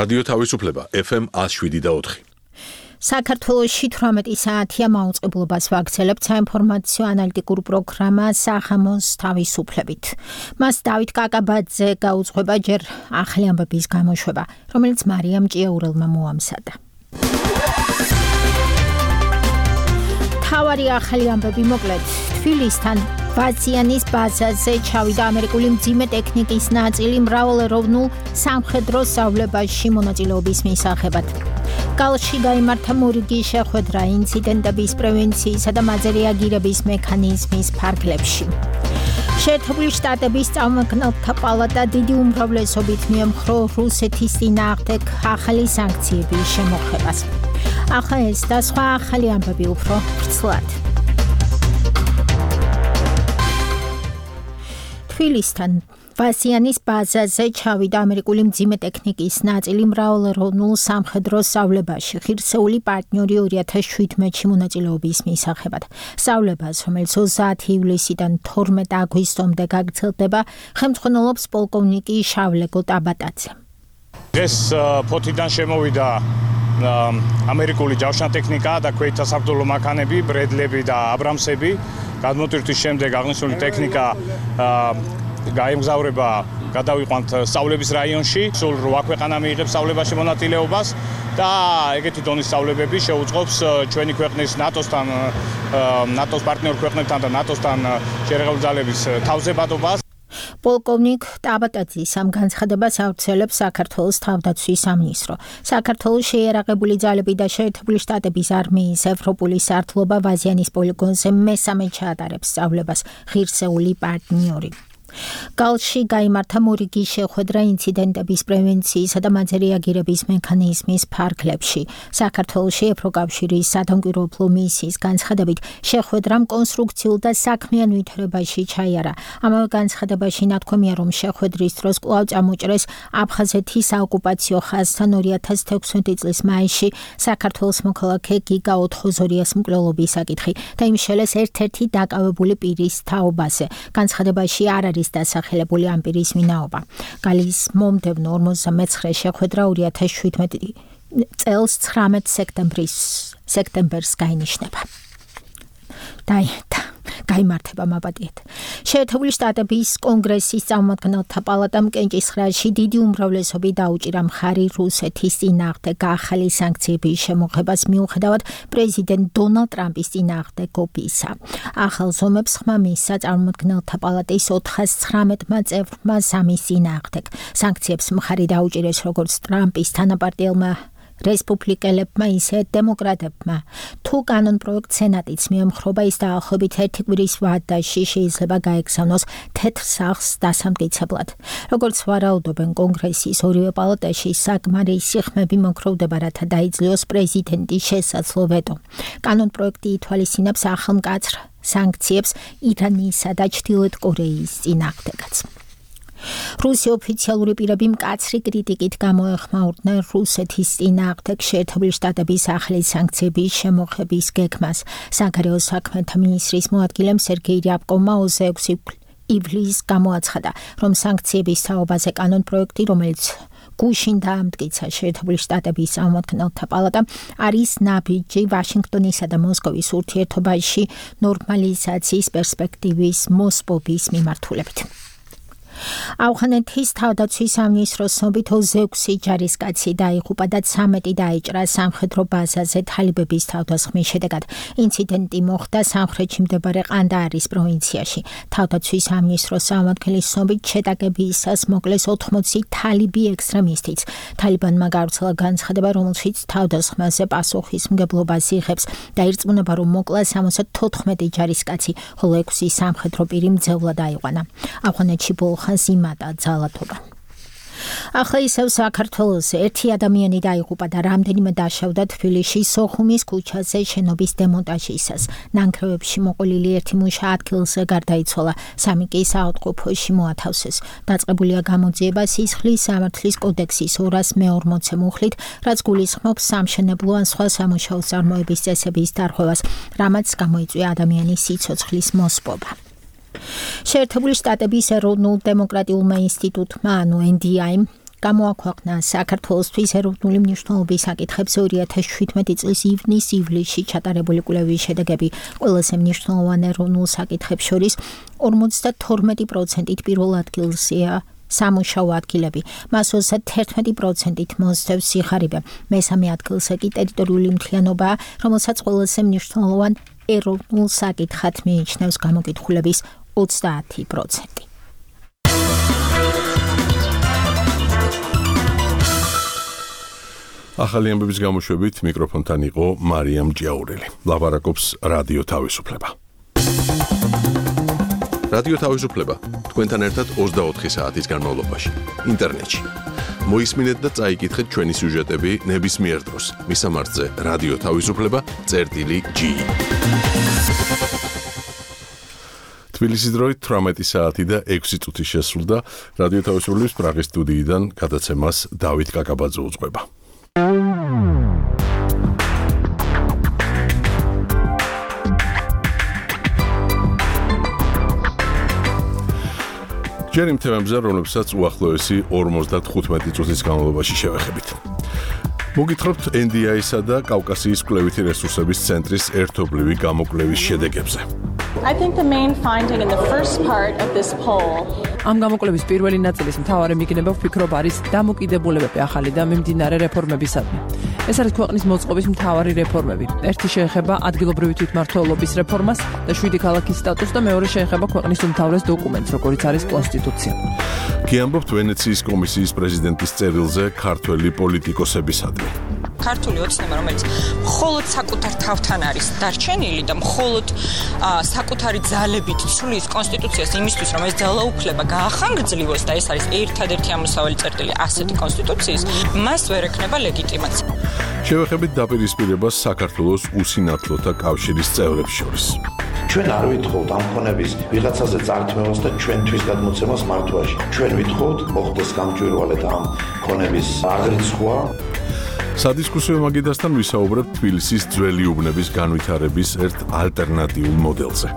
რადიო თავისუფლება FM 107.4. საქართველოში 18 საათია მაუწყებლობას ვაგრძელებთ საინფორმაციო ანალიტიკურ პროგრამა სახამოს თავისუფლებით. მას დავით კაკაბაძე გაუძღვება ჯერ ახალი ამბების გამოშვება, რომელიც მარიამ ჭიაურელმა მოამზადა. თავარი ახალი ამბები მოკლედ. თბილისთან ვაზიანის ბაზაზე ჩავიდა ამერიკული მძიმე ტექნიკის ნაწილი მრავალეროვნულ სამხედრო სწავლებაში მონაწილეობის მისაღებად. გალში გაიმართა მორიგი შეხვედრა ინციდენტების პრევენციისა და მაზე რეაგირების მექანიზმის ფარგლებში. შეერთებული შტატების წარმომადგენელთა პალატა დიდი უმრავლესობით მიემხრო რუსეთის წინააღმდეგ ახალი სანქციების შემოღებას. ახლა ეს და სხვა ახალი ამბები უფრო ვრცლად. თბილისთან ვაზიანის ბაზაზე ჩავიდა ამერიკული მძიმე ტექნიკის ნაწილი მრავალეროვნულ სამხედრო სწავლებაში ღირსეული პარტნიორი 2017-ში მონაწილეობის მისაღებად. სწავლებას, რომელიც 30 ივლისიდან 12 აგვისტომდე გაგრძელდება, ხელმძღვანელობს პოლკოვნიკი შავლეგო ტაბატაძე. ეს ფოთიდან შემოვიდა ამერიკული ჯავშანტექნიკა და ქვეითთა საბრძოლო მანქანები, ბრედლები და აბრამსები. გადმოტვირთვის შემდეგ აღნიშნული ტექნიკა გაემგზავრება გადავიყვანთ სწავლების რაიონში. სულ 8 ქვეყანა მიიღებს სწავლებაში მონაწილეობას და ეგეთი დონის სწავლებები შეუწყობს ჩვენი ქვეყნის ნატოსთან, ნატოს პარტნიორ ქვეყნებთან და ნატოსთან შერეღებული ძალების თავზებადობას. პოლკოვნიკ ტაბატაძის ამ განცხადებას ავრცელებს საქართველოს თავდაცვის სამინისტრო. საქართველოს შეიარაღებული ძალები და შეერთებული შტატების არმიის ევროპული სარდლობა ვაზიანის პოლიგონზე მესამე ჩაატარებს სწავლებას ღირსეული პარტნიორი. გალში გაიმართა მორიგი შეხვედრა ინციდენტების პრევენციისა და მაზე რეაგირების მექანიზმის ფარგლებში. საქართველოში ევროკავშირის სადამკვირვებლო მისიის განცხადებით შეხვედრამ კონსტრუქციულ და საქმიან ვითარებაში ჩაიარა. ამავე განცხადებაში ნათქვამია, რომ შეხვედრის დროს კვლავ წამოჭრეს აფხაზეთის საოკუპაციო ხაზთან 2016 წლის მაისში საქართველოს მოქალაქე გიგა ოთხოზორიას მკვლელობის საკითხი და იმშელეს ერთ-ერთი დაკავებული პირის თაობაზე. განცხადებაში არ არის დასახელებული ამ პირის ვინაობა. გალის მომდევნო 59 შეხვედრა 2017 წელს 19 სექტემბერს გაინიშნება. გაიმართება მაპატიეთ. შეერთებული შტატების კონგრესის წარმომადგენელთა პალატამ კენჭისყრაში დიდი უმრავლესობით დაუჭირა მხარი რუსეთის წინააღმდეგ ახალი სანქციების შემოღებას მიუხედავად პრეზიდენტ დონალდ ტრამპის წინააღმდეგ ოპისა. ახალ ზომებს ხმა მისცა წარმომადგენელთა პალატის 419 წევრმა სამის წინააღმდეგ. სანქციებს მხარი დაუჭირეს როგორც ტრამპის თანაპარტიელმა რესპუბლიკელებმა, ისე დემოკრატებმა. თუ კანონპროექტ სენატიც მიემხრობა, ის დაახლოებით 1 კვირის ვადაში შეიძლება გაეგზავნოს თეთრ სახლს დასამტკიცებლად. როგორც ვარაუდობენ კონგრესის ორივე პალატაში, საკმარისი ხმები მოგროვდება, რათა დაიძლიოს პრეზიდენტის შესაძლო ვეტო. კანონპროექტი ითვალისწინებს ახალმკაცრ სანქციებს ირანისა და ჩრდილოეთ კორეის წინააღმდეგაც. რუსი ოფიციალური პირები მკაცრი კრიტიკით გამოეხმაურდნენ რუსეთის წინააღმდეგ შეერთებული შტატების ახალი სანქციების შემოღების გეგმას. საგარეო საქმეთა მინისტრის მოადგილემ სერგეი რიაბკოვმა 26 ივლისს გამოაცხადა, რომ სანქციების თაობაზე კანონპროექტი, რომელიც გუშინ დაამტკიცა შეერთებული შტატების წარმომადგენელთა პალატამ, არის ნაბიჯი ვაშინგტონისა და მოსკოვის ურთიერთობაში ნორმალიზაციის პერსპექტივის მოსპობის მიმართულებით. ავღანეთის თავდაცვის სამინისტროს ცნობით 26 ჯარისკაცი დაიღუპა და 13 დაიჭრა სამხედრო ბაზაზე თალიბების თავდასხმის შედეგად. ინციდენტი მოხდა სამხრეთში მდებარე ყანდაარის პროვინციაში. თავდაცვის სამინისტროს წარმომადგენლის ცნობით შეტაკებისას მოკლეს 80 თალიბი ექსტრემისტიც. თალიბანმა გავრცელა განცხადება, რომელშიც თავდასხმაზე პასუხისმგებლობას იღებს და ირწმუნება, რომ მოკლა 74 ჯარისკაცი, ხოლო 6 სამხედრო პირი მძევლად აიყვანა. ავღანეთში იმადა ძალადობა. ახლა ისევ საქართველოს ერთი ადამიანი დაიღუპა და რამდენიმე დაშავდა თბილისში სოხუმის ქუჩაზე შენობის დემონტაჟისას. ნანგრევებში მოყოლილი ერთი მუშა ადგილზე გარდაიცვალა, 3 კი საავადმყოფოში მოათავსეს. დაწყებულია გამოძიება სისხლის სამართლის კოდექსის 240 მუხლით, რაც გულისხმობს სამშენებლო ან სხვა სამუშაო წარმოების წესების დარღვევას, რამაც გამოიწვია ადამიანის სიცოცხლის მოსპობა. შეერთებული შტატების ეროვნულ დემოკრატიულმა ინსტიტუტმა, ანუ NDI-მ გამოაქვეყნა საქართველოსთვის ეროვნული მნიშვნელობის საკითხებზე 2017 წლის ივნის-ივლისში ჩატარებული კვლევის შედეგები. ყველაზე მნიშვნელოვან ეროვნულ საკითხებს შორის 52%-ით პირველ ადგილზეა სამუშაო ადგილები. მას 31%-ით მოსდევს სიხარიბე. მესამე ადგილზე კი ტერიტორიული მთლიანობა, რომელსაც ყველაზე მნიშვნელოვან ეროვნულ საკითხად მიიჩნევს გამოკითხულების 30%. ახალი ამბების გამოშვებით მიკროფონთან იყო მარიამ ჯიაურელი. ლაპარაკობს რადიო თავისუფლება. რადიო თავისუფლება თქვენთან ერთად 24 საათის განმავლობაში ინტერნეტში. მოისმინეთ და წაიკითხეთ ჩვენი სიუჟეტები ნებისმიერ დროს. მისამართზე რადიო თავისუფლება.gi. თბილისის დროით 18 საათი და 6 წუთი შესრულდა. რადიო თავისუფლების პრაღის სტუდიიდან გადაცემას დავით კაკაბაძე უძღვება. ჯერ იმ თემებზე, რომლებსაც უახლოესი 55 წუთის განმავლობაში შევეხებით. მოგითხრობთ NDI-სა და კავკასიის კვლევითი რესურსების ცენტრის ერთობლივი გამოკვლევის შედეგებზე. I think the main finding in the first part of this poll ამ გამოკვლევის პირველი ნაწილის მთავარი მიგნება ვფიქრობ არის დამოკიდებულებები ახალი და მიმდინარე რეფორმებისადმი. ეს არის ქვეყნის მოწყობის მთავარი რეფორმები. ერთი შეეხება ადგილობრივი თვითმმართველობის რეფორმას და 7 ქალაქის სტატუსს და მეორე შეეხება ქვეყნის უმთავრეს დოკუმენტს, როგორიც არის კონსტიტუცია. გიამბობთ ვენეციის კომისიის პრეზიდენტის წერილზე ქართველი პოლიტიკოსებისადმი. ქართული ოცნება, რომელიც მხოლოდ საკუთარ თავთან არის დარჩენილი და მხოლოდ საკუთარი ძალებით ცვლის კონსტიტუციას იმისთვის, რომ ეს ძალაუფლება გაახანგრძლივოს და ეს არის ერთადერთი ამოსავალი წერტილი ასეთი კონსტიტუციის, მას ვერ ექნება ლეგიტიმაცია. შევეხებით დაპირისპირებას საქართველოს უსინათლოთა კავშირის წევრებს შორის. ჩვენ არ ვითხოვთ ამ ხონების ვიღაცაზე წართმევას და ჩვენთვის გადმოცემას მართვაში. ჩვენ ვითხოვთ მოხდეს გამჭვირვალედ ამ ხონების აღრიცხვა. სადისკუსიო მაგიდასთან ვისაუბრებთ თბილისის ძველი უბნების განვითარების ერთ ალტერნატიულ მოდელზე.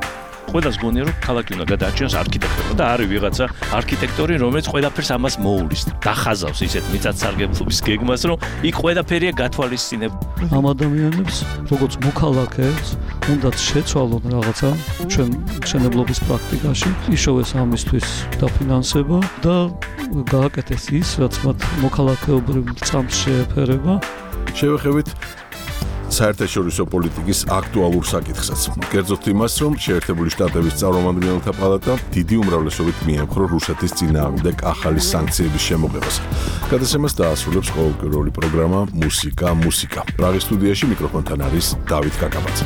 ყველას გონია რომ ქალაქი უნდა გადაარჩინოს არქიტექტორა და არის ვიღაცა არქიტექტორი, რომელიც ყველაფერს ამას მოულის. დახაზავს ისეთ მიწათსარგებლობის გეგმას, რომ იქ ყველაფერია გათვალისწინებული. ამ ადამიანებს, როგორც მოქალაქეებს, უნდათ შეცვალონ რაღაცა ჩვენ მშენებლობის პრაქტიკაში, იშოვეს ამისთვის დაფინანსება და გააკეთეს ის, რაც მათ მოქალაქეობრივ წამს შეეფერება. შევეხებით საერთაშორისო პოლიტიკის აქტუალურ საკითხსაც. კერძოდ იმას, რომ შეერთებული შტატების წარმომადგენელთა პალატა დიდი უმრავლესობით მიემხრო რუსეთის წინააღმდეგ ახალი სანქციების შემოღებას. გადაცემას დაასრულებს ყოველკვირეული პროგრამა მუსიკა. პრაღის სტუდიაში მიკროფონთან არის დავით კაკაბაძე.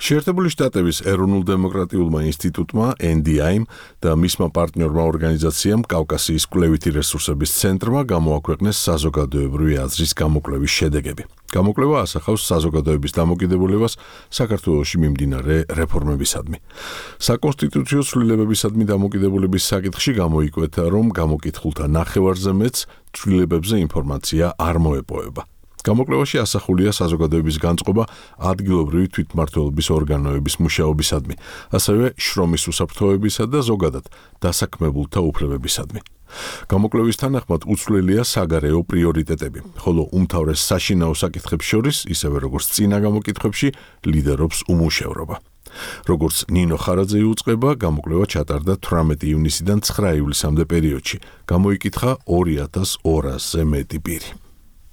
შეერთებული შტატების ეროვნულ-დემოკრატიულმა ინსტიტუტმა NDI-მ და მისმა პარტნიორმა ორგანიზაციამ კავკასიის კვლევითი რესურსების ცენტრმა გამოაქვეყნეს საზოგადოებრივი აზრის გამოკვლევის შედეგები. გამოკვლევა ასახავს საზოგადოების დამოკიდებულებას საქართველოში მიმდინარე რეფორმებისადმი. საკონსტიტუციო ცვლილებებისადმი დამოკიდებულების საკითხში გამოიკვეთა, რომ გამოკითხულთა ნახევარზე მეტს ცვლილებებზე ინფორმაცია არ მოეპოვება. გამოკვლევაში ასახულია საზოგადოების განწყობა ადგილობრივი თვითმმართველობის ორგანოების მუშაობისადმი, ასევე შრომის უსაფრთხოებისა და ზოგადად დასაქმებულთა უფლებებისადმი. გამოკვლევის თანახმად უცვლელია საგარეო პრიორიტეტები, ხოლო უმთავრეს საშინაო საკითხებს შორის, ისევე როგორც წინა გამოკითხვებში, ლიდერობს უმუშევრობა. როგორც ნინო ხარაძე იუწყება, გამოკვლევა ჩატარდა 18 ივნისიდან 9 ივლისამდე პერიოდში. გამოიკითხა 2200-ზე მეტი პირი.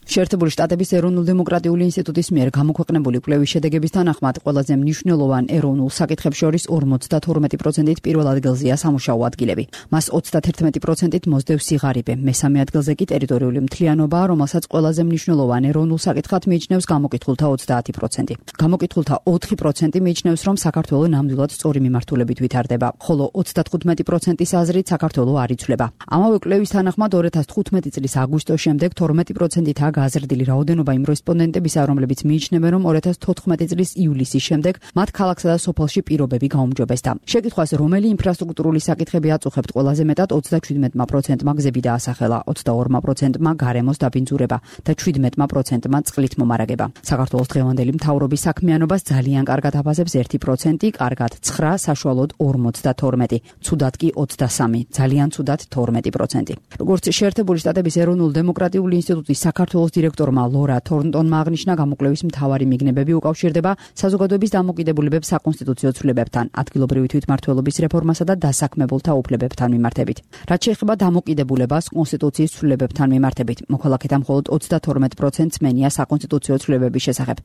შეერთებული შტატების ეროვნულ-დემოკრატიული ინსტიტუტის მიერ გამოქვეყნებული კვლევის შედეგების თანახმად ყველაზე მნიშვნელოვან ეროვნულ საკითხებს შორის 52%-ით პირველ ადგილზეა სამუშაო ადგილები. მას 31%-ით მოსდევს სიღარიბე. მესამე ადგილზე კი ტერიტორიული მთლიანობა, რომელსაც ყველაზე მნიშვნელოვან ეროვნულ საკითხად მიიჩნევს გამოკითხულთა 30%. გამოკითხულთა 4% მიიჩნევს, რომ საქართველო ნამდვილად სწორი მიმართულებით ვითარდება, ხოლო 35%-ის აზრით საქართველო არ იცვლება. ამავე კვლევის თანახმად 2015 წლის აგვისტოს შემდეგ 12%-ით გაზრდილი რაოდენობა იმ რესპონდენტებისა, რომლებიც მიიჩნევენ, რომ 2014 წლის ივლისის შემდეგ მათ ქალაქსა და სოფელში პირობები გაუმჯობესდა. შეკითხვას, რომელი ინფრასტრუქტურული საკითხები აწუხებთ ყველაზე მეტად, 37%-მა გზები დაასახელა, 22%-მა გარემოს დაბინძურება და 17%-მა წყლით მომარაგება. საქართველოს დღევანდელი მთავრობის საქმიანობას ძალიან კარგად აფასებს 1%, კარგად 9, საშუალოდ 52, ცუდად კი 23, ძალიან ცუდად 12%. როგორც შეერთებული შტატების ეროვნულ დემოკრატიული ინსტიტუტის საქართველოს დირექტორმა ლორა თორნტონმა აღნიშნა, გამოკვლევის მთავარი მიგნებები უკავშირდება საზოგადოების დამოკიდებულებებს საკონსტიტუციო ცვლილებებთან, ადგილობრივი თვითმმართველობის რეფორმასა და დასაქმებულთა უფლებებთან მიმართებით. რაც შეეხება დამოკიდებულებას კონსტიტუციის ცვლილებებთან მიმართებით, მოქალაქეთა მხოლოდ 32% სმენია საკონსტიტუციო ცვლილებების შესახებ.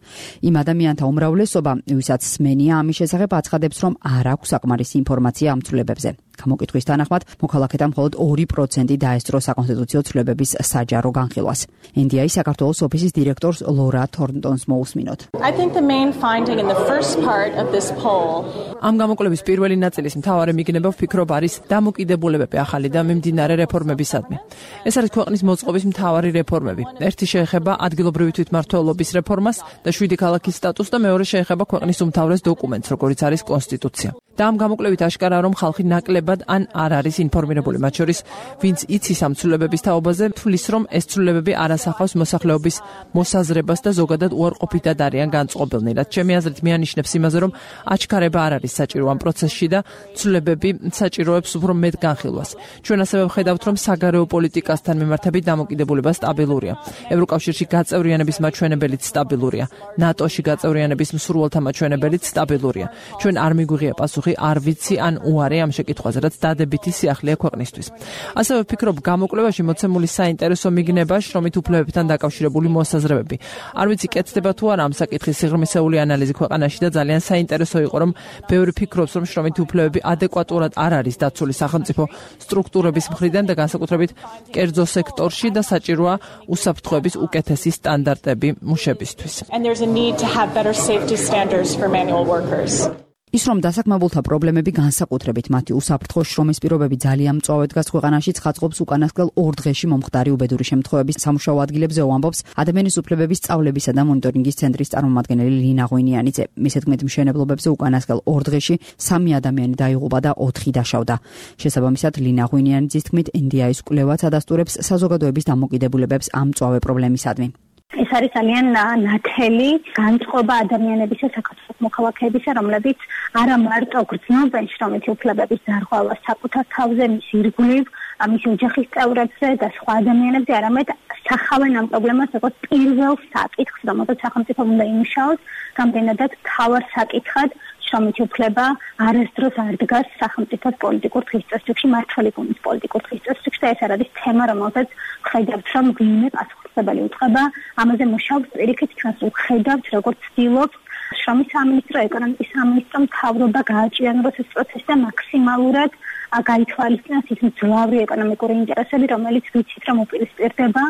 იმ ადამიანთა უმრავლესობა, ვისაც სმენია ამის შესახებ, აცხადებს, რომ არ აქვს საკმარისი ინფორმაცია ამ ცვლილებებზე. გამოკითხვის თანახმად, მოქალაქეთა მხოლოდ 2% დაესწრო საკონსტიტუციო ცვლილებების საჯარო განხილვას. NDI საქართველოს ოფისის დირექტორს ლორა თორნტონს მოусმინოთ. I think the main finding in the first part of this poll ამ გამოკვლევის პირველი ნაწილის მთავარი მიგნება ვფიქრობ არის დამოკიდებულებები ახალი და მიმდინარე რეფორმებისადმი. ეს არის ქვეყნის მოწყობის მთავარი რეფორმები. ერთი შეეხება ადგილობრივი თვითმმართველობის რეფორმას და 7 ქალაქის სტატუსს და მეორე შეეხება ქვეყნის უმთავრეს დოკუმენტს, როგორიც არის კონსტიტუცია. და ამ გამოკვლევით აშკარაა, რომ ხალხი ნაკლებად ან არ არის ინფორმირებული, მათ შორის ვინც იცის ამ ცვლილებების თაობაზე, თვლის, რომ ეს ცვლილებები არ ასახავს მოსახლეობის მოსაზრებას და ზოგადად უარყოფითად არიან განწყობილნი. რაც ჩემი აზრით მიანიშნებს იმაზე, რომ აჩქარება არ არის საჭირო ამ პროცესში და ცვლილებები საჭიროებს უფრო მეტ განხილვას. ჩვენ ასევე ვხედავთ, რომ საგარეო პოლიტიკასთან მიმართებით დამოკიდებულება სტაბილურია. ევროკავშირში გაწევრიანების მაჩვენებელიც სტაბილურია. ნატოში გაწევრიანების მსურველთა მაჩვენებელიც სტაბილურია. ჩვენ არ მიგვიღია პასუხი არ ვიცი ან უარი ამ შეკითხვაზე, რაც დადებითი სიახლეა ქვეყნისთვის. ასევე ვფიქრობ, გამოკვლევაში მოცემული საინტერესო მიგნება შრომით უფლებებთან დაკავშირებული მოსაზრებები. არ ვიცი კეთდება თუ არა ამ საკითხის სიღრმისეული ანალიზი ქვეყანაში და ძალიან საინტერესო იყო, რომ ბევრი ფიქრობს, რომ შრომითი უფლებები ადეკვატურად არ არის დაცული სახელმწიფო სტრუქტურების მხრიდან და განსაკუთრებით კერძო სექტორში და საჭიროა უსაფრთხოების უკეთესი სტანდარტები მუშებისთვის. and there's a need to have better safety standards for manual workers. ის რომ დასაქმებულთა პრობლემები განსაკუთრებით მათი უსაფრთხო შრომის პირობები ძალიან მწვავედ დგას ქვეყანაში, ცხადყოფს უკანასკნელ 2 დღეში მომხდარი უბედური შემთხვევების სამუშაო ადგილებზე, ამბობს ადამიანის უფლებების სწავლებისა და მონიტორინგის ცენტრის წარმომადგენელი ლინა ღვინიანიძე. მისე თქმით, მშენებლობებზე უკანასკნელ 2 დღეში 3 ადამიანი დაიღუპა და 4 დაშავდა. შესაბამისად, ლინა ღვინიანიძის თქმით, NDI-ის კვლევაც ადასტურებს საზოგადოების დამოკიდებულებებს ამ მწვავე პრობლემისადმი. ეს არის ძალიან ნათელი განწყობა ადამიანებისა, საქართველოს მოქალაქეებისა, რომლებიც არა მარტო გრძნობენ შრომითი უფლებების დარღვევას საკუთარ თავზე, მის ირგვლივ, მისი ოჯახის წევრებზე და სხვა ადამიანებზე, არამედ სახავენ ამ პრობლემას როგორც პირველ საკითხს, რომელსაც სახელმწიფო უნდა იმუშაოს, გამდენადაც მთავარ საკითხად შრომითი უფლება არასდროს არ დგას სახელმწიფოს პოლიტიკურ დღესდღეში, მართველი გულის პოლიტიკურ დღესდღეში და ეს არის თემა, რომელსაც ხედავთ, რომ ვინმე პასუხისმგებელი უწყება, ამაზე მუშაობს პირიქით, ჩვენს ვხედავთ, როგორც ცდილობს შრომის სამინისტრო, ეკონომიკის სამინისტრო, მთავრობა გააჭიანოს ეს პროცესი და მაქსიმალურად გაითვალისწინოს ის მძლავრი ეკონომიკური ინტერესები, რომელიც ვიცით, რომ უპირისპირდება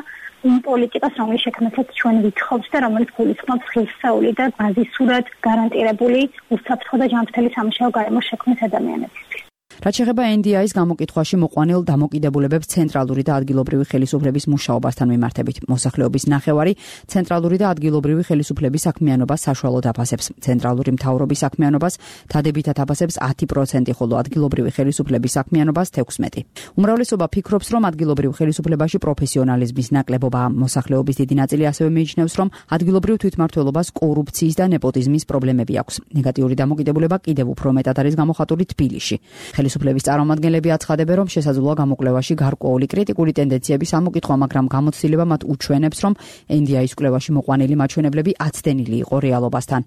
იმ პოლიტიკას, რომლის შექმნასაც ჩვენ ვითხოვთ და რომელიც გულისხმობს ღირსეული და ბაზისურად გარანტირებული უსაფრთხო და ჯანმრთელი სამუშაო გარემოს შექმნის ადამიანებისთვის. რაც შეეხება NDI-ის გამოკითხვაში მოყვანილ დამოკიდებულებებს ცენტრალური და ადგილობრივი ხელისუფლების მუშაობასთან მიმართებით. მოსახლეობის ნახევარი ცენტრალური და ადგილობრივი ხელისუფლების საქმიანობას საშუალოდ აფასებს. ცენტრალური მთავრობის საქმიანობას დადებითად აფასებს 10%, ხოლო ადგილობრივი ხელისუფლების საქმიანობას 16%. უმრავლესობა ფიქრობს, რომ ადგილობრივ ხელისუფლებაში პროფესიონალიზმის ნაკლებობაა. მოსახლეობის დიდი ნაწილი ასევე მიიჩნევს, რომ ადგილობრივ თვითმმართველობას კორუფციის და ნეპოტიზმის პრობლემები აქვს. ნეგატიური დამოკიდებულება კიდევ უფრო მეტად არის გამოხატული თბილისში. ხელისუფლების წარმომადგენლები აცხადებენ, რომ შესაძლოა გამოკვლევაში გარკვეული კრიტიკული ტენდენციების ამოკითხვა, მაგრამ გამოცდილება მათ უჩვენებს, რომ NDI-ის კვლევაში მოყვანილი მაჩვენებლები აცდენილი იყო რეალობასთან.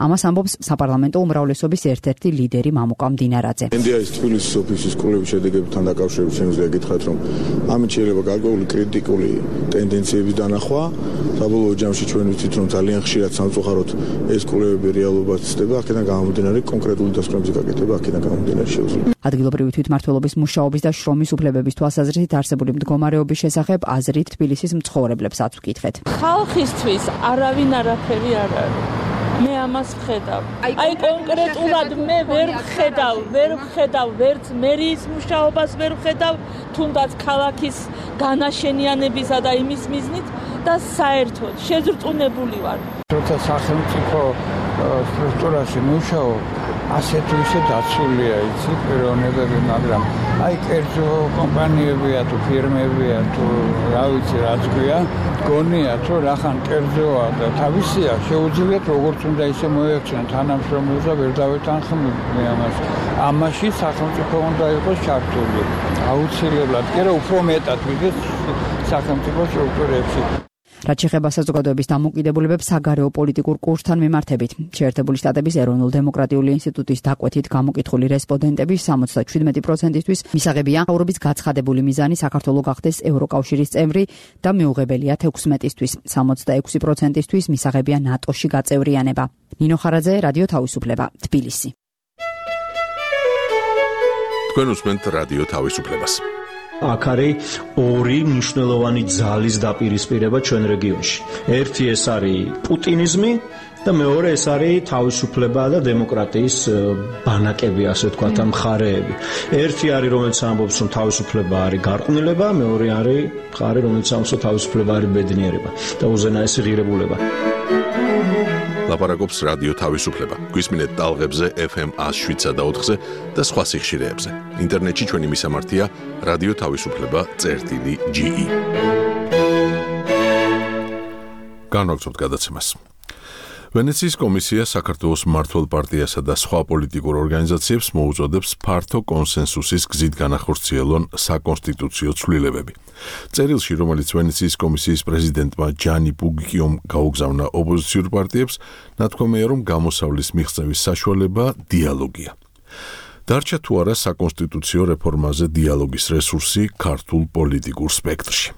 ამას ამბობს საპარლამენტო უმრავლესობის ერთ-ერთი ლიდერი მამუკა მდინარაძე. NDI-ის თბილისის ოფისის კვლევის შედეგებთან დაკავშირებით შემიძლია გითხრათ, რომ ამით შეიძლება გარკვეული კრიტიკული ტენდენციების დანახვა. საბოლოო ჯამში ჩვენ ვიცით, რომ ძალიან ხშირად სამწუხაროდ ეს კვლევები რეალობას ცდება, აქედან გამომდინარე კონკრეტული დასკვნების გაკეთება, აქედან გამომდინარე შეუძლია. ადგილობრივი თვითმმართველობის მუშაობის და შრომის უფლებების თვალსაზრისით არსებული მდგომარეობის შესახებ აზრით თბილისის მცხოვრებლებსაც ვკითხეთ. ხალხისთვის არავინ არაფერი არ არის. მე ამას ვხედავ. აი კონკრეტულად მე ვერ ვხედავ ვერც მერიის მუშაობას ვერ ვხედავ, თუნდაც ქალაქის განაშენიანებისა და იმის მიზნით მოხდა საერთოდ, შეზრწუნებული ვარ. როცა სახელმწიფო სტრუქტურაში მუშაობ, ასეთ ისე დაცულია იცი პიროვნებები, მაგრამ აი კერძო კომპანიებია თუ ფირმებია თუ რა ვიცი რაც გვია, გონია თუ რახან კერძოა და თავისია შეუძლიათ როგორც უნდა ისე მოექცნენ თანამშრომლებს და ვერ დავეთანხმები ამას. ამაში სახელმწიფო უნდა იყოს ჩართული. აუცილებლად, კი რა უფრო მეტად ვიდრე სახელმწიფო სტრუქტურებში. რაც შეეხება საზოგადოების დამოკიდებულებებს საგარეო პოლიტიკურ კურსთან მიმართებით, შეერთებული შტატების ეროვნულ-დემოკრატიული ინსტიტუტის დაკვეთით გამოკითხული რესპონდენტების 77%-ისთვის მისაღებია საუბრობის გაცხადებული მიზანი საქართველოს გახდეს ევროკავშირის წევრი და მიუღებელია 16-ისთვის, 66%-ისთვის მისაღებია ნატოში გაწევრიანება. ნინო ხარაძე, რადიო თავისუფლება, თბილისი. თქვენ უსმენთ რადიო თავისუფლებას. აქ არის ორი მნიშვნელოვანი ძალის დაპირისპირება ჩვენ რეგიონში. ერთი ეს არის პუტინიზმი და მეორე ეს არის თავისუფლება და დემოკრატიის ბანაკები, ასე ვთქვათ, მხარეები. ერთი არის, რომელიც ამბობს, რომ თავისუფლება არის გარყვნილება, მეორე არის მხარე, რომელიც ამბობს, რომ თავისუფლება არის ბედნიერება და უზენაესი ღირებულება. ლაპარაკობს რადიო თავისუფლება. გვისმინეთ ტალღებზე FM 107.4-ზე და სხვა სიხშირეებზე. ინტერნეტში ჩვენი მისამართია radioთავისუფლება.ge. განვაგრძობთ გადაცემას. ვენეციის კომისია საქართველოს მმართველ პარტიასა და სხვა პოლიტიკურ ორგანიზაციებს მოუწოდებს ფართო კონსენსუსის გზით განახორციელონ საკონსტიტუციო ცვლილებები. წერილში, რომელიც ვენეციის კომისიის პრეზიდენტმა ჯანი ბუგიკიომ გაუგზავნა ოპოზიციურ პარტიებს, ნათქვამია, რომ გამოსავლის მიღწევის საშუალება დიალოგია. დარჩა თუ არა საკონსტიტუციო რეფორმაზე დიალოგის რესურსი ქართულ პოლიტიკურ სპექტრში.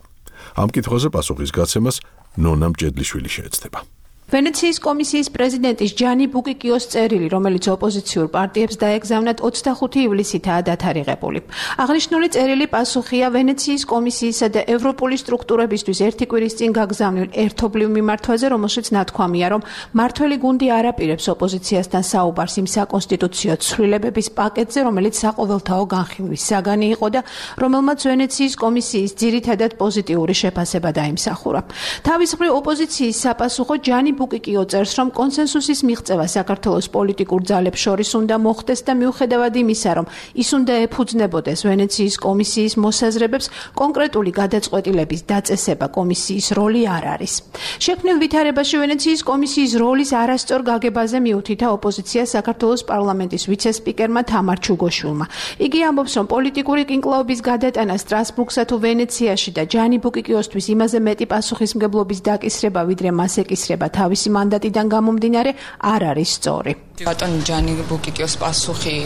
ამ კითხვაზე პასუხის გაცემას ნონა მჭედლიშვილი შეეცდება. ვენეციის კომისიის პრეზიდენტის ჯანი ბუკიკიოს წერილი, რომელიც ოპოზიციურ პარტიებს დაეგზავნათ 25 ივლისითაა დათარიღებული. აღნიშნული წერილი პასუხია ვენეციის კომისიისა და ევროპული სტრუქტურებისთვის ერთი კვირის წინ გაგზავნილ ერთობლივ მიმართვაზე, რომელშიც ნათქვამია, რომ მართველი გუნდი არ აპირებს ოპოზიციასთან საუბარს იმ საკონსტიტუციო ცვლილებების პაკეტზე, რომელიც საყოველთაო განხილვის საგანი იყო და რომელმაც ვენეციის კომისიის ძირითადად პოზიტიური შეფასება დაიმსახურა. თავის მხრივ ოპოზიციის საპასუხო ჯანი ბუკიკიო წერს, რომ კონსენსუსის მიღწევა საქართველოს პოლიტიკურ ძალებს შორის უნდა მოხდეს და მიუხედავად იმისა, რომ ის უნდა ეფუძნებოდეს ვენეციის კომისიის მოსაზრებებს, კონკრეტული გადაწყვეტილების დაწესება კომისიის როლი არ არის. შექმნილ ვითარებაში ვენეციის კომისიის როლის არასწორ გაგებაზე მიუთითა ოპოზიცია საქართველოს პარლამენტის ვიცე-სპიკერმა თამარ ჩუგოშვილმა. იგი ამბობს, რომ პოლიტიკური კინკლაობის გადატანა სტრასბურგსა თუ ვენეციაში და ჯანი ბუკიკიოსთვის იმაზე მეტი პასუხისმგებლობის დაკისრება, ვიდრე მას ეკისრება თავისი მანდატიდან გამომდინარე, არ არის სწორი. ბატონ ჯანი ბუკიკიოს პასუხი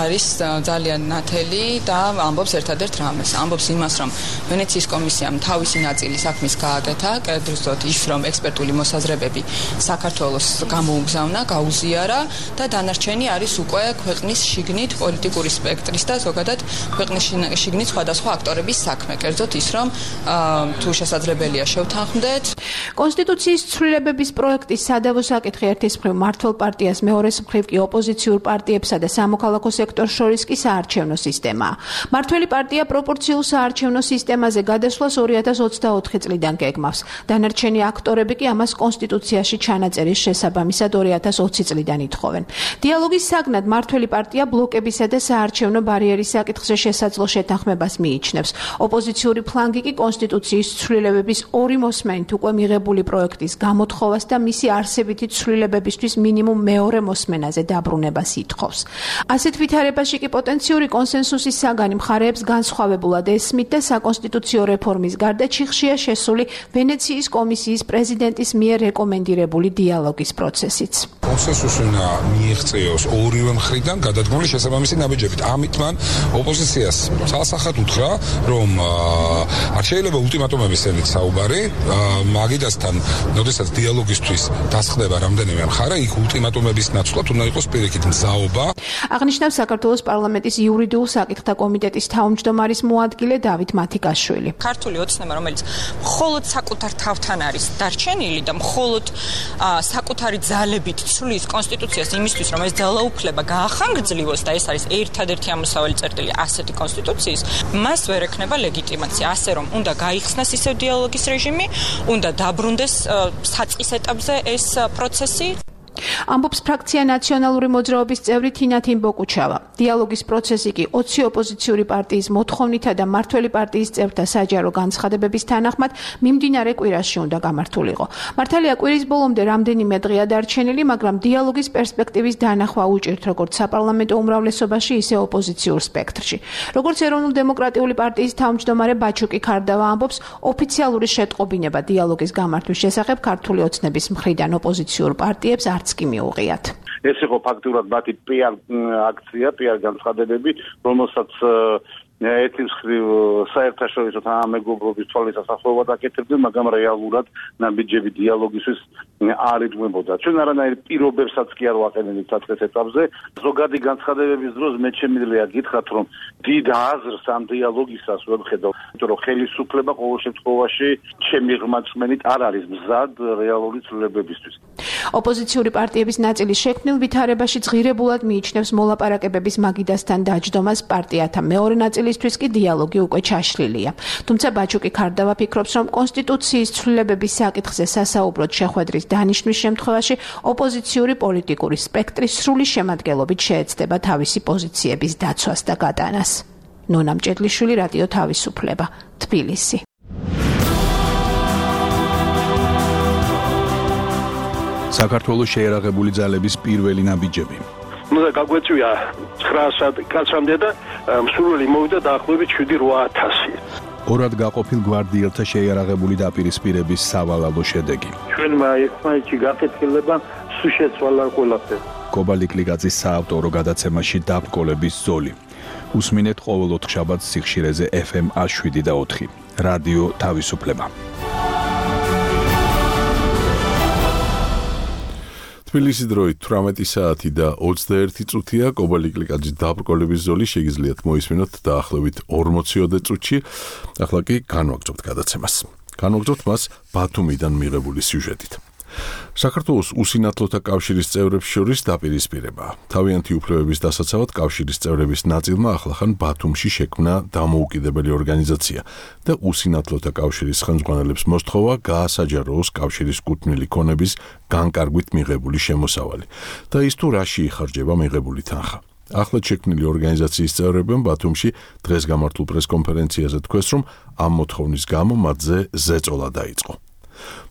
არის ძალიან ნათელი და ამბობს ერთადერთ რამეს. ამბობს იმას, რომ ვენეციის კომისიამ თავისი ნაწილი საქმის გააკეთა, კერძოდ ის, რომ ექსპერტული მოსაზრებები საქართველოს გამოუგზავნა, გაუზიარა და დანარჩენი არის უკვე ქვეყნის შიგნით პოლიტიკური სპექტრის და ზოგადად ქვეყნის შიგნით სხვადასხვა აქტორების საქმე. კერძოდ ის, რომ თუ შესაძლებელია შევთანხმდეთ. კონსტიტუციის ცვლილებების პროექტის სადავო საკითხი ერთის მხრივ მმართველ პარტიას, მეორეს მხრივ კი ოპოზიციურ პარტიებსა და სამოქალაქო სექტორს შორის კი საარჩევნო სისტემაა. მმართველი პარტია პროპორციულ საარჩევნო სისტემაზე გადასვლას 2024 წლიდან გეგმავს. დანარჩენი აქტორები კი ამას კონსტიტუციაში ჩანაწერის შესაბამისად 2020 წლიდან ითხოვენ. დიალოგის საგნად მმართველი პარტია ბლოკებისა და საარჩევნო ბარიერის საკითხზე შესაძლო შეთანხმებას მიიჩნევს. ოპოზიციური ფლანგი კი კონსტიტუციის ცვლილებების ორი მოსმენით უკვე მიღებული პროექტის გამოთხოვას და მისი არსებითი ცვლილებებისთვის მინიმუმ მეორე მოსმენაზე დაბრუნებას ითხოვს. ასეთ ვითარებაში კი პოტენციური კონსენსუსის საგანი მხარეებს განსხვავებულად ესმით და საკონსტიტუციო რეფორმის გარდა ჩიხშია შესული ვენეციის კომისიის პრეზიდენტის მიერ რეკომენდირებული დიალოგის პროცესიც. კონსენსუსი უნდა მიიღწეოს ორივე მხრიდან გადადგმული შესაბამისი ნაბიჯებით. ამით მან ოპოზიციას სასახად უთხრა, რომ არ შეიძლება ულტიმატუმების ენით საუბარი, მაგიდასთან, როდესაც დიალოგისთვის დასხდება რამდენიმე მხარე, იქ ულტიმატუმების ნაცვლად უნდა იყოს პირიქით მზაობა. აღნიშნავს საქართველოს პარლამენტის იურიდიულ საკითხთა კომიტეტის თავმჯდომარის მოადგილე დავით მათიკაშვილი. ქართული ოცნება, რომელიც მხოლოდ საკუთარ თავთან არის დარჩენილი და მხოლოდ საკუთარი ძალებით სრული ის კონსტიტუციას იმისთვის, რომ ეს ძალაუფლება გაახანგრძლივოს და ეს არის ერთადერთი ამოსავალი წერტილი ასეთი კონსტიტუციის, მას ვერ ექნება ლეგიტიმაცია, ასე რომ უნდა გაიხსნას ისევ დიალოგის რეჟიმი, უნდა დაბრუნდეს საწყის ეტაპზე ეს პროცესი. ამბობს ფრაქცია ნაციონალური მოძრაობის წევრი თინათინ ბოკუჩავა. დიალოგის პროცესი კი 20 ოპოზიციური პარტიის მოთხოვნითა და მართველი პარტიის წევრთა საჯარო განცხადებების თანახმად მიმდინარე კვირაში უნდა გამართულიყო. მართალია კვირის ბოლომდე რამდენიმე დღეა დარჩენილი, მაგრამ დიალოგის პერსპექტივის დანახვა უჭირთ როგორც საპარლამენტო უმრავლესობაში, ისე ოპოზიციურ სპექტრში. როგორც ეროვნულ-დემოკრატიული პარტიის თავმჯდომარე ბაჩუკი ქარდავა ამბობს, ოფიციალური შეტყობინება დიალოგის გამართვის შესახებ ქართული ოცნების მხრიდან ოპოზიციურ პარტიებს არც კი მიუღიათ. ეს იყო ფაქტურად მათი PR აქცია, PR განცხადებები, რომელსაც ერთი მხრივ საერთაშორისო თანამეგობრობის თვალსაჩინო ასახულობად აკეთებდნენ, მაგრამ რეალურად ნაბიჯები დიალოგისთვის არ იტყვებოდა. ჩვენ არანაირ პირობებსაც კი არ ვაყენებთ საწყის ეტაპზე. ზოგადი განცხადებების დროს მე შემიძლია გითხრათ, რომ დიდ აზრს ამ დიალოგისას ვერ ხედავ, იმიტომ რომ ხელისუფლება ყოველ შემთხვევაში ჩემი ღმერთმენით არ არის მზად რეალური ცვლილებებისთვის. ოპოზიციური პარტიების ნაწილი შექმნილ ვითარებაში ძღირებულად მიიჩნევს მოლაპარაკებების მაგიდასთან დაჯდომას, პარტიათა მეორე ნაწილისთვის კი დიალოგი უკვე ჩაშლილია. თუმცა ბაჩუკი ქარდავა ფიქრობს, რომ კონსტიტუციის ცვლილებების საკითხზე სასაუბროდ შეხვედრის დანიშვნის შემთხვევაში ოპოზიციური პოლიტიკური სპექტრი სრული შემადგენლობით შეეცდება თავისი პოზიციების დაცვას და გატანას. ნონა მჭედლიშვილი, რადიო თავისუფლება, თბილისი. საქართველოს შეერაღებული ძალების პირველი ნაბიჯები. უნდა გაგვეწვია 900 კაცამდე და მსურველი მოვიდა დაახლოებით 7-8000. ორად გაყოფილ გვარდიელთა შეიარაღებული დაპირისპირების სავალალო შედეგი. ჩვენმა ერთმანეთში გაკეთილება სულ შეცვალა ყველაფერი. კობალიკლიკაძის საავტორო გადაცემაში დაბრკოლების ზოლი. უსმინეთ ყოველ 4 შაბათს სიხშირეზე FM 7 და 4. რადიო თავისუფლება. თბილისის დროით 18 საათი და 21 წუთია. კობალიკლიკაძის დაბრკოლების ზოლი შეგიძლიათ მოისმინოთ დაახლოებით 40 წუთში. ახლა კი განვაგრძობთ გადაცემას. განვაგრძობთ მას ბათუმიდან მიღებული სიუჟეტით. საქართველოს უსინათლოთა კავშირის წევრებს შორის დაპირისპირება. თავიანთი უფლებების დასაცავად კავშირის წევრების ნაწილმა ახლახან ბათუმში შექმნა დამოუკიდებელი ორგანიზაცია და უსინათლოთა კავშირის ხელმძღვანელებს მოსთხოვა გაასაჯაროოს კავშირის კუთვნილი ქონების განკარგვით მიღებული შემოსავალი და ის თუ რაში იხარჯება მიღებული თანხა. ახლად შექმნილი ორგანიზაციის წევრებმა ბათუმში დღეს გამართულ პრესკონფერენციაზე თქვეს, რომ ამ მოთხოვნის გამო მათზე ზეწოლა დაიწყო.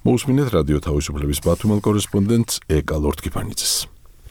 მოусმინეთ რადიო თავისუფლების ბათუმელ კორესპონდენტს ეკა ლორთქიფანიძეს.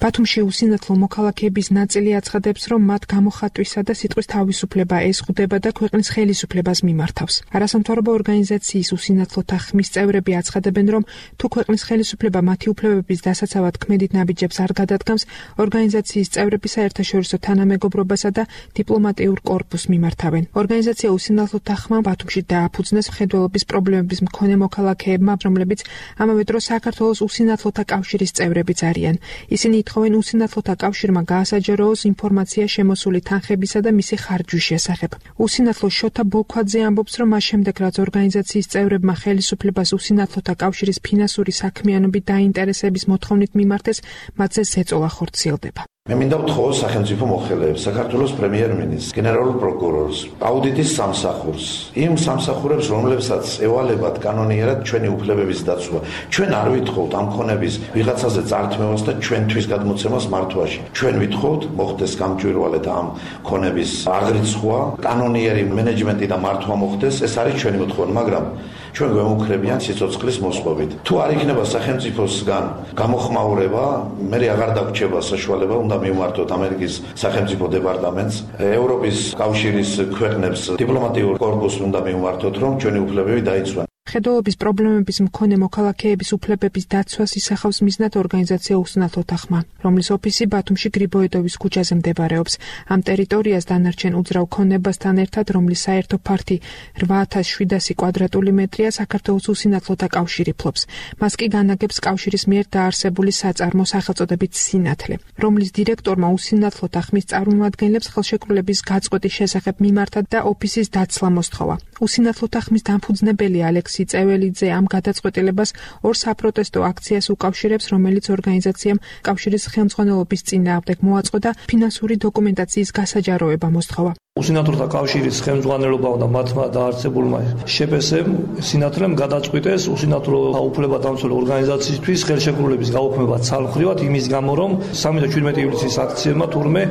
ბათუმში უსინათლო მოქალაქეების ნაწილი აცხადებს, რომ მათ გამოხატვისა და სიტყვის თავისუფლება ეზღუდება და ქვეყნის ხელისუფლებას მიმართავს. არასამთავრობო ორგანიზაციის უსინათლოთა ხმის წევრები აცხადებენ, რომ თუ ქვეყნის ხელისუფლება მათი უფლებების დასაცავად ქმედით ნაბიჯებს არ გადადგამს, ორგანიზაციის წევრები საერთაშორისო თანამეგობრობასა და დიპლომატიურ კორპუსს მიმართავენ. ორგანიზაცია უსინათლოთა ხმა ბათუმში დააფუძნეს მხედველობის პრობლემების მქონე მოქალაქეებმა, რომლებიც ამავე დროს საქართველოს უსინათლოთა კავშირის წევრებიც არიან. ისინი ითხოვენ უსინათლოთა კავშირმა გაასაჯაროოს ინფორმაცია შემოსული თანხებისა და მისი ხარჯვის შესახებ. უსინათლო შოთა ბოლქვაძე ამბობს, რომ მას შემდეგ რაც ორგანიზაციის წევრებმა ხელისუფლებას უსინათლოთა კავშირის ფინანსური საქმიანობით დაინტერესების მოთხოვნით მიმართეს, მათზე ზეწოლა ხორციელდება. მე მინდა ვთხოვო სახელმწიფო მოხელეებს, საქართველოს პრემიერ-მინისტრს, გენერალურ პროკურორს, აუდიტის სამსახურს, იმ სამსახურებს, რომლებსაც ევალებათ კანონიერად ჩვენი უფლებების დაცვა. ჩვენ არ ვითხოვთ ამ ქონების ვიღაცაზე წართმევას და ჩვენთვის გადმოცემას მართვაში. ჩვენ ვითხოვთ მოხდეს გამჭვირვალედ ამ ქონების აღრიცხვა, კანონიერი მენეჯმენტი და მართვა მოხდეს, ეს არის ჩვენი მოთხოვნა, მაგრამ ჩვენ გვემუქრებიან სიცოცხლის მოსპობით. თუ არ იქნება სახელმწიფოსგან გამოხმაურება, მე აღარ დაგვრჩება საშუალება უნდა მივმართოთ ამერიკის სახელმწიფო დეპარტამენტს, ევროპის კავშირის ქვეყნებს დიპლომატიურ კორპუსს უნდა მივმართოთ, რომ ჩვენი უფლებები დაიცვან. მხედველობის პრობლემების მქონე მოქალაქეების უფლებების დაცვას ისახავს მიზნად ორგანიზაცია უსინათლოთა ხმა, რომლის ოფისი ბათუმში გრიბოედოვის ქუჩაზე მდებარეობს. ამ ტერიტორიას დანარჩენ უძრავ ქონებასთან ერთად, რომლის საერთო ფართი 8700 კვადრატული მეტრია, საქართველოს უსინათლოთა კავშირი ფლობს. მას კი განაგებს კავშირის მიერ დაარსებული საწარმო სახელწოდებით სინათლე, რომლის დირექტორმა უსინათლოთა ხმის წარმომადგენლებს ხელშეკრულების გაწყვეტის შესახებ მიმართა და ოფისის დაცლა მოსთხოვა. უსინათლოთა ხმის დამფუძნებელი ალექსი მამიკაცი წეველიძე ამ გადაწყვეტილებას ორ საპროტესტო აქციას უკავშირებს, რომელიც ორგანიზაციამ კავშირის ხელმძღვანელობის წინააღმდეგ მოაწყო და ფინანსური დოკუმენტაციის გასაჯაროება მოსთხოვა. უსინათლოთა კავშირის ხელმძღვანელობამ და მათმა დაარსებულმა შეპესემ სინათლემ გადაწყვიტეს უსინათლო უფლებადამცველი ორგანიზაციისთვის ხელშეკრულების გაუქმება ცალმხრივად იმის გამო, რომ 3-17 ივლისის აქციებმა თურმე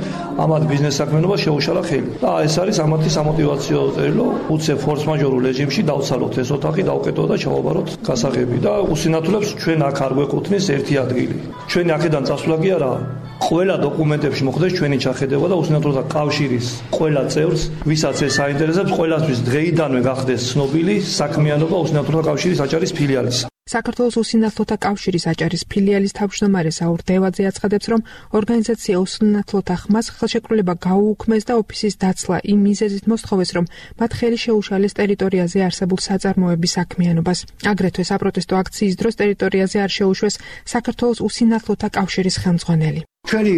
ამათ ბიზნეს საქმიანობას შეუშალა ხელი. და ეს არის ამათი სამოტივაციო წერილო, უცებ ფორს-მაჟორულ რეჟიმში დავცალოთ ეს ოთახი, დავკეტოთ და ჩავაბაროთ გასაღები და უსინათლებს ჩვენ აქ არ გვეკუთვნის ერთი ადგილი. ჩვენი აქედან წასვლა კი არა, ყველა დოკუმენტებში მოხდეს ჩვენი ჩახედება და უსინათლოთა კავშირის ყველა წევრს, ვისაც ეს აინტერესებს, ყველასთვის დღეიდანვე გახდეს ცნობილი საქმიანობა უსინათლოთა კავშირის აჭარის ფილიალისა. საქართველოს უსინათლოთა კავშირის აჭარის ფილიალის თავმჯდომარე საურ დევაძე აცხადებს, რომ ორგანიზაცია უსინათლოთა ხმას ხელშეკრულება გაუუქმეს და ოფისის დაცლა იმ მიზეზით მოსთხოვეს, რომ მათ ხელი შეუშალეს ტერიტორიაზე არსებულ საწარმოების საქმიანობას. აგრეთვე საპროტესტო აქციის დროს ტერიტორიაზე არ შეუშვეს საქართველოს უსინათლოთა კავშირის ხელმძღვანელი. ჩვენი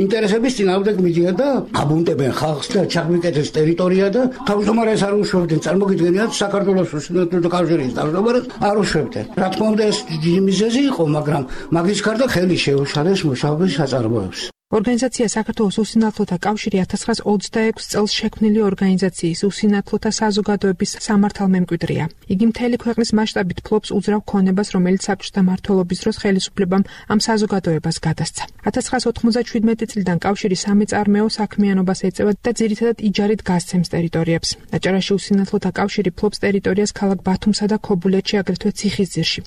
ინტერესების წინააღმდეგ მიდიან და აბუნტებენ ხალხს და ჩაგვიკეთეს ტერიტორია და თავმჯდომარეს არ უშვებდნენ. წარმოგიდგენიათ საქართველოს უსინათლოთა კავშირის თავმჯდომარეს არ უშვებდნენ. რა თქმა უნდა ეს დიდი მიზეზი იყო, მაგრამ მაგის გარდა ხელი შეუშალეს მუშაობის საწარმოებს. ორგანიზაცია საქართველოს უსინათლოთა კავშირი 1926 წელს შექმნილი ორგანიზაციის უსინათლოთა საზოგადოების სამართალმემკვიდრეა. იგი მთელი ქვეყნის მასშტაბით ფლობს უძრავ ქონებას, რომელიც საბჭოთა მმართველობის დროს ხელისუფლებამ ამ საზოგადოებას გადასცა. 1997 წლიდან კავშირი სამეწარმეო საქმიანობას ეწევა და ძირითადად იჯარით გასცემს ტერიტორიებს. აჭარაში უსინათლოთა კავშირი ფლობს ტერიტორიას ქალაქ ბათუმსა და ქობულეთში, აგრეთვე ციხისძირში,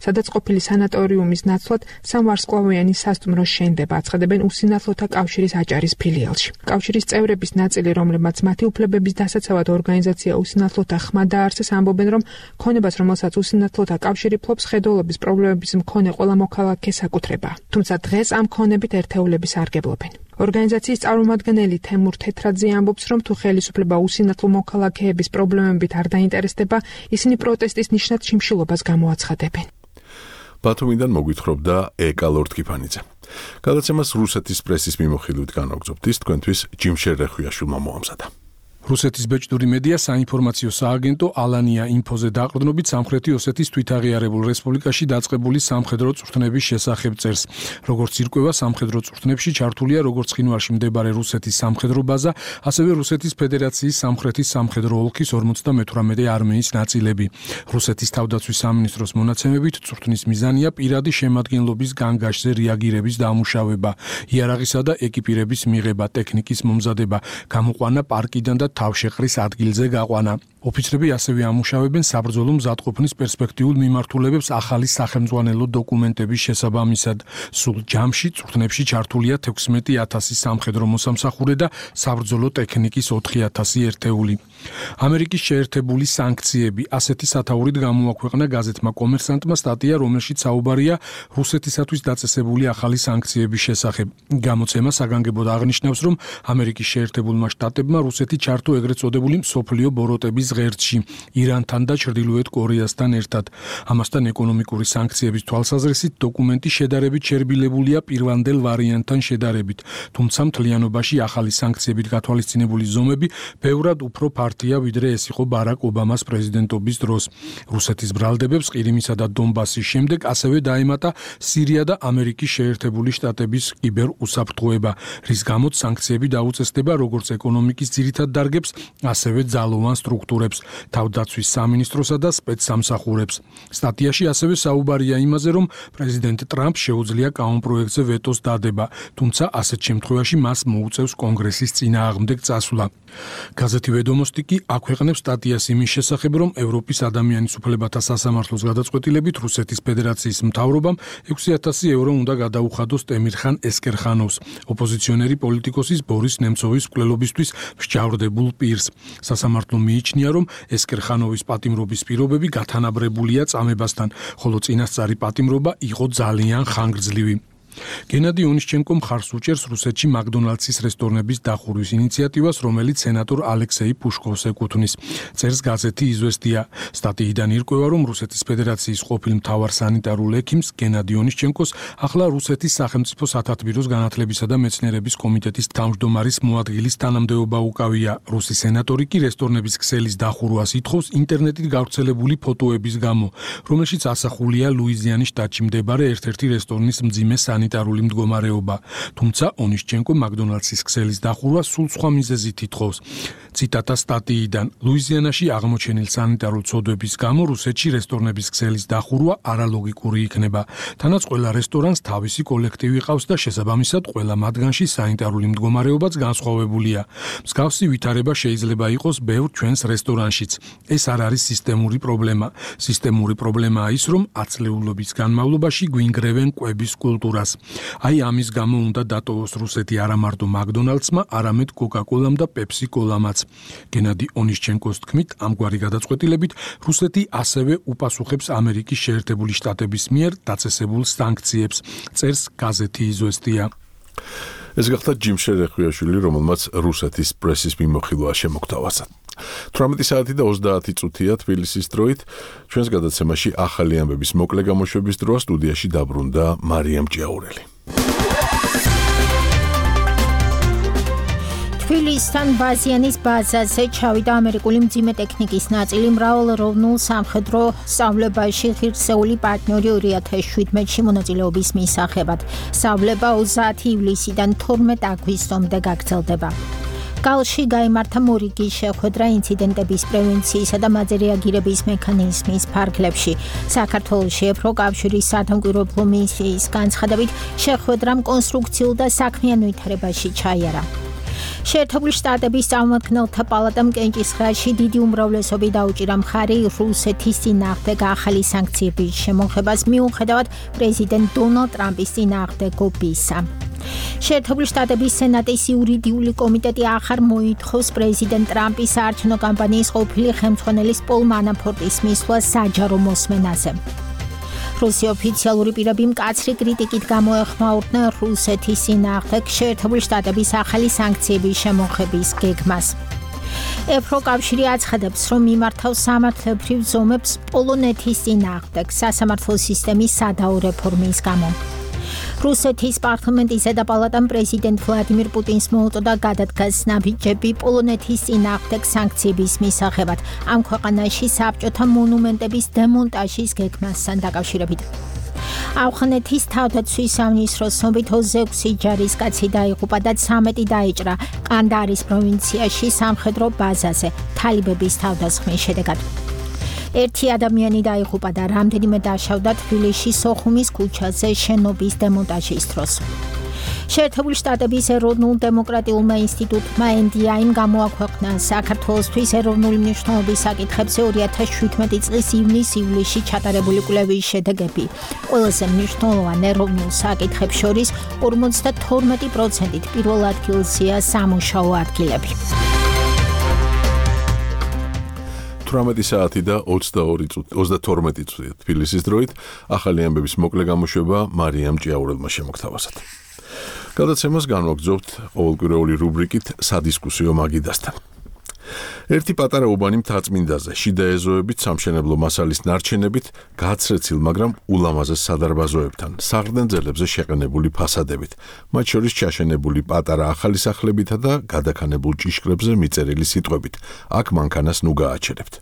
სადაც ყოფილი სანატორიუმის ნაცვლად სამვარსკვლავიანი სასტუმრო შენდება, აცხადებენ უსინათლოთა კავშირის აჭარის ფილიალში. კავშირის წევრების ნაწილი, რომლებმაც მათი უფლებების დასაცავად ორგანიზაცია უსინათლოთა ხმა დაარსეს, ამბობენ, რომ ქონებას, რომელსაც უსინათლოთა კავშირი ფლობს, ხედულობის პრობლემების მქონე ყველა მოქალაქეს აკუთრება. თუმცა დღეს ამ ქონებით ერთეულები სარგებლობენ. ორგანიზაციის წარმომადგენელი თემურ თეთრაძე ამბობს, რომ თუ ხელისუფლება უსინათლო მოქალაქეების პრობლემებით არ დაინტერესდება, ისინი პროტესტის ნიშნად შიმშილობას გამოაცხადებენ. ბათუმიდან მოგვითხრობდა ეკა ლორთქიფანიძე. გადაცემას რუსეთის პრესის მიმოხილვით განვაგრძობთ, თქვენთვის ჯიმშერ რეხვიაშვილმა მოამზადა. რუსეთის ბეჭდური მედია საინფორმაციო სააგენტო ალანია ინფოზე დაყრდნობით სამხრეთი ოსეთის თვითაღიარებულ რესპუბლიკაში დაწყებული სამხედრო წვრთნების შესახებ წერს. როგორც ირკვევა, სამხედრო წვრთნებში ჩართულია როგორც ცხინვალში მდებარე რუსეთის სამხედრო ბაზა, ასევე რუსეთის ფედერაციის სამხრეთის სამხედრო ოლქის 58 არმიის ნაწილები. რუსეთის თავდაცვის სამინისტროს მონაცემებით, წვრთნის მიზანია პირადი შემადგენლობის განგაშზე რეაგირების დამუშავება, იარაღისა და ეკიპირების მიღება, ტექნიკის მომზადება, გამოყვანა პარკიდან და თავშეყრის ადგილზე გაყვანა. ოფიცრები ასევე ამუშავებენ საბრძოლო მზადყოფნის პერსპექტიულ მიმართულებებს ახალი სახელმძღვანელო დოკუმენტების შესაბამისად. სულ ჯამში წვრთნებში ჩართულია 16,000 სამხედრო მოსამსახურე და საბრძოლო ტექნიკის 4,000 ერთეული. ამერიკის შეერთებული სანქციები ასეთი სათაურით გამოაქვეყნა გაზეთმა კომერსანტმა სტატია, რომელშიც საუბარია რუსეთისათვის დაწესებული ახალი სანქციების შესახებ. გამოცემა საგანგებოდ აღნიშნავს, რომ ამერიკის შეერთებულმა შტატებმა რუსეთი ჩართო ეგრეთ წოდებული მსოფლიო ბოროტების ღერძში ირანთან და ჩრდილოეთ კორეასთან ერთად. ამასთან ეკონომიკური სანქციების თვალსაზრისით დოკუმენტი შედარებით შერბილებულია პირვანდელ ვარიანტთან შედარებით, თუმცა მთლიანობაში ახალი სანქციებით გათვალისწინებული ზომები ბევრად უფრო ფართია, ვიდრე ეს იყო ბარაკ ობამას პრეზიდენტობის დროს. რუსეთის ბრალდებებს ყირიმისა და დონბასის შემდეგ ასევე დაემატა სირია და ამერიკის შეერთებული შტატების კიბერუსაფრთხოება, რის გამოც სანქციები დაუწესდება როგორც ეკონომიკის ძირითად დარგებს, ასევე ძალოვან სტრუქტურებს, თავდაცვის სამინისტროსა და სპეცსამსახურებს. სტატიაში ასევე საუბარია იმაზე, რომ პრეზიდენტ ტრამპს შეუძლია კანონპროექტზე ვეტოს დადება, თუმცა ასეთ შემთხვევაში მას მოუწევს კონგრესის წინააღმდეგ წასვლა. გაზეთი ვედომოსტი კი აქვეყნებს სტატიას იმის შესახებ, რომ ევროპის ადამიანის უფლებათა სასამართლოს გადაწყვეტილებით რუსეთის ფედერაციის მთავრობამ 6,000 ევრო უნდა გადაუხადოს ტემირხან ესკერხანოვს, ოპოზიციონერი პოლიტიკოსის ბორის ნემცოვის მკვლელობისთვის მსჯავრდებულ პირს. სასამართლო მიიჩნია, რომ ესკერხანოვის პატიმრობის პირობები გათანაბრებულია წამებასთან, ხოლო წინასწარი პატიმრობა იყო ძალიან ხანგრძლივი. გენადი ონიშჩენკო მხარს უჭერს რუსეთში მაკდონალდსის რესტორნების დახურვის ინიციატივას, რომელიც სენატორ ალექსეი პუშკოვს ეკუთვნის. წერს გაზეთი „იზვესტია“. სტატიიდან ირკვევა, რომ რუსეთის ფედერაციის ყოფილ მთავარ სანიტარულ ექიმს გენადი ონიშჩენკოს ახლა რუსეთის სახელმწიფო სათათბიროს განათლებისა და მეცნიერების კომიტეტის თავმჯდომარის მოადგილის თანამდებობა უკავია. რუსი სენატორი კი რესტორნების ქსელის დახურვას ითხოვს ინტერნეტით გავრცელებული ფოტოების გამო, რომელშიც ასახულია ლუიზიანის შტატში მდებარე ერთ-ერთი რესტორნის მძიმე სანიტარული მდგომარეობა. თუმცა ონიშჩენკო მაკდონალდსის ქსელის დახურვას სულ სხვა მიზეზით ითხოვს. ციტატა სტატიიდან: ლუიზიანაში აღმოჩენილ სანიტარულ ცოდვების გამო რუსეთში რესტორნების ქსელის დახურვა არალოგიკური იქნება. თანაც ყველა რესტორანს თავისი კოლექტივი ყავს და შესაბამისად ყველა მათგანში სანიტარული მდგომარეობაც განსხვავებულია. მსგავსი ვითარება შეიძლება იყოს ბევრ ჩვენს რესტორანშიც. ეს არ არის სისტემური პრობლემა. სისტემური პრობლემაა ის, რომ ათწლეულობის განმავლობაში გვინგრევენ კვების კულტურას. აი ამის გამო უნდა დატოვოს რუსეთი არა მარტო მაკდონალდსმა, არამედ კოკა-კოლამ და პეპსი-კოლამაც. გენადი ონიშჩენკოს თქმით, ამგვარი გადაწყვეტილებით რუსეთი ასევე უპასუხებს ამერიკის შეერთებული შტატების მიერ დაწესებულ სანქციებს. წერს გაზეთი „იზვესტია“. ეს გახდა ჯიმ შერეხვიაშვილი, რომელმაც რუსეთის პრესის მიმოხილვა შემოგთავაზა. 18 საათი და 30 წუთია თბილისის დროით. ჩვენს გადაცემაში ახალი ამბების მოკლე გამოშვების დროა სტუდიაში დაბრუნდა მარიამ ჭიაურელი. თბილისთან ბაზიანის ბაზაზე ჩავიდა ამერიკული მძიმე ტექნიკის ნაწილი მრავალეროვნულ სამხედრო სწავლებაში ღირსეული პარტნიორი 2017-ში მონაწილეობის მისაღებად. სწავლება 30 ივლისიდან 12 აგვისტომდე გაგრძელდება. გალში გაიმართა მორიგი შეხვედრა ინციდენტების პრევენციისა და მათზე რეაგირების მექანიზმის ფარგლებში. საქართველოში ევროკავშირის სათანადო მისიის განცხადებით შეხვედრამ კონსტრუქციულ და საქმიან ვითარებაში ჩაიარა. შეერთებული შტატების წარმომადგენელთა პალატამ კენჭისყრაში დიდი უმრავლესობით დაუჭირა მხარი რუსეთის წინააღმდეგ ახალი სანქციების შემოღებას მიუხედავად პრეზიდენტ დონალდ ტრამპის წინააღმდეგობისა. შეერთებული შტატების სენატის იურიდიული კომიტეტი ახარ მოითხოვს პრეზიდენტ ტრამპის საარჩევნო კამპანიის ყოფილი ხელმძღვანელის პოლ მანაფორტის მისვლა საჯარო მოსმენაზე. რუსი ოფიციალური პირები მკაცრი კრიტიკით გამოეხმაურდნენ რუსეთის წინააღმდეგ შეერთებული შტატების ახალი სანქციების შემოღების გეგმას. ევროკავშირი აცხადებს, რომ მიმართავს სამართლებრივ ზომებს პოლონეთის წინააღმდეგ სასამართლო სისტემის სადაო რეფორმის გამო. რუსეთის პარლამენტის ზედაპალატამ პრეზიდენტ ვლადიმირ პუტინს მოუწოდა გადადგას ნაბიჯები პოლონეთის წინააღმდეგ სანქციების მისაღებად ამ ქვეყანაში საბჭოთა მონუმენტების დემონტაჟის გეგმასთან დაკავშირებით. ავღანეთის თავდაცვის სამინისტროს ცნობით 26 ჯარისკაცი დაიღუპა და 13 დაიჭრა კანდარის პროვინციაში სამხედრო ბაზაზე თალიბების თავდასხმის შედეგად. ერთი ადამიანი დაიღუპა და რამდენიმე დაშავდა თბილისში სოხუმის ქუჩაზე შენობის დემონტაჟის დროს. შეერთებული შტატების ეროვნულ დემოკრატიულმა ინსტიტუტმა NDI-მ გამოაქვეყნა საქართველოსთვის ეროვნული მნიშვნელობის საკითხებზე 2017 წლის ივნის-ივლისში ჩატარებული კვლევის შედეგები. ყველაზე მნიშვნელოვან ეროვნულ საკითხებს შორის 52%-ით პირველ ადგილზეა სამუშაო ადგილები. 18 საათი და 32 წუთია თბილისის დროით. ახალი ამბების მოკლე გამოშვება მარიამ ჭიაურელმა შემოგთავაზა. გადაცემას განვაგრძობთ ყოველკვირეული რუბრიკით სადისკუსიო მაგიდასთან. ერთი პატარა უბანი მთაწმინდაზე შიდა ეზოებით სამშენებლო მასალის ნარჩენებით გააცრეცილ, მაგრამ ულამაზეს სადარბაზოებთან, საღრდენძელებზე შეყენებული ფასადებით, მათ შორის ჩაშენებული პატარა ახალი სახლებითა და გადაქანებულ ჭიშკრებზე მიწერილი სიტყვებით. აქ მანქანას ნუ გააჩერებთ.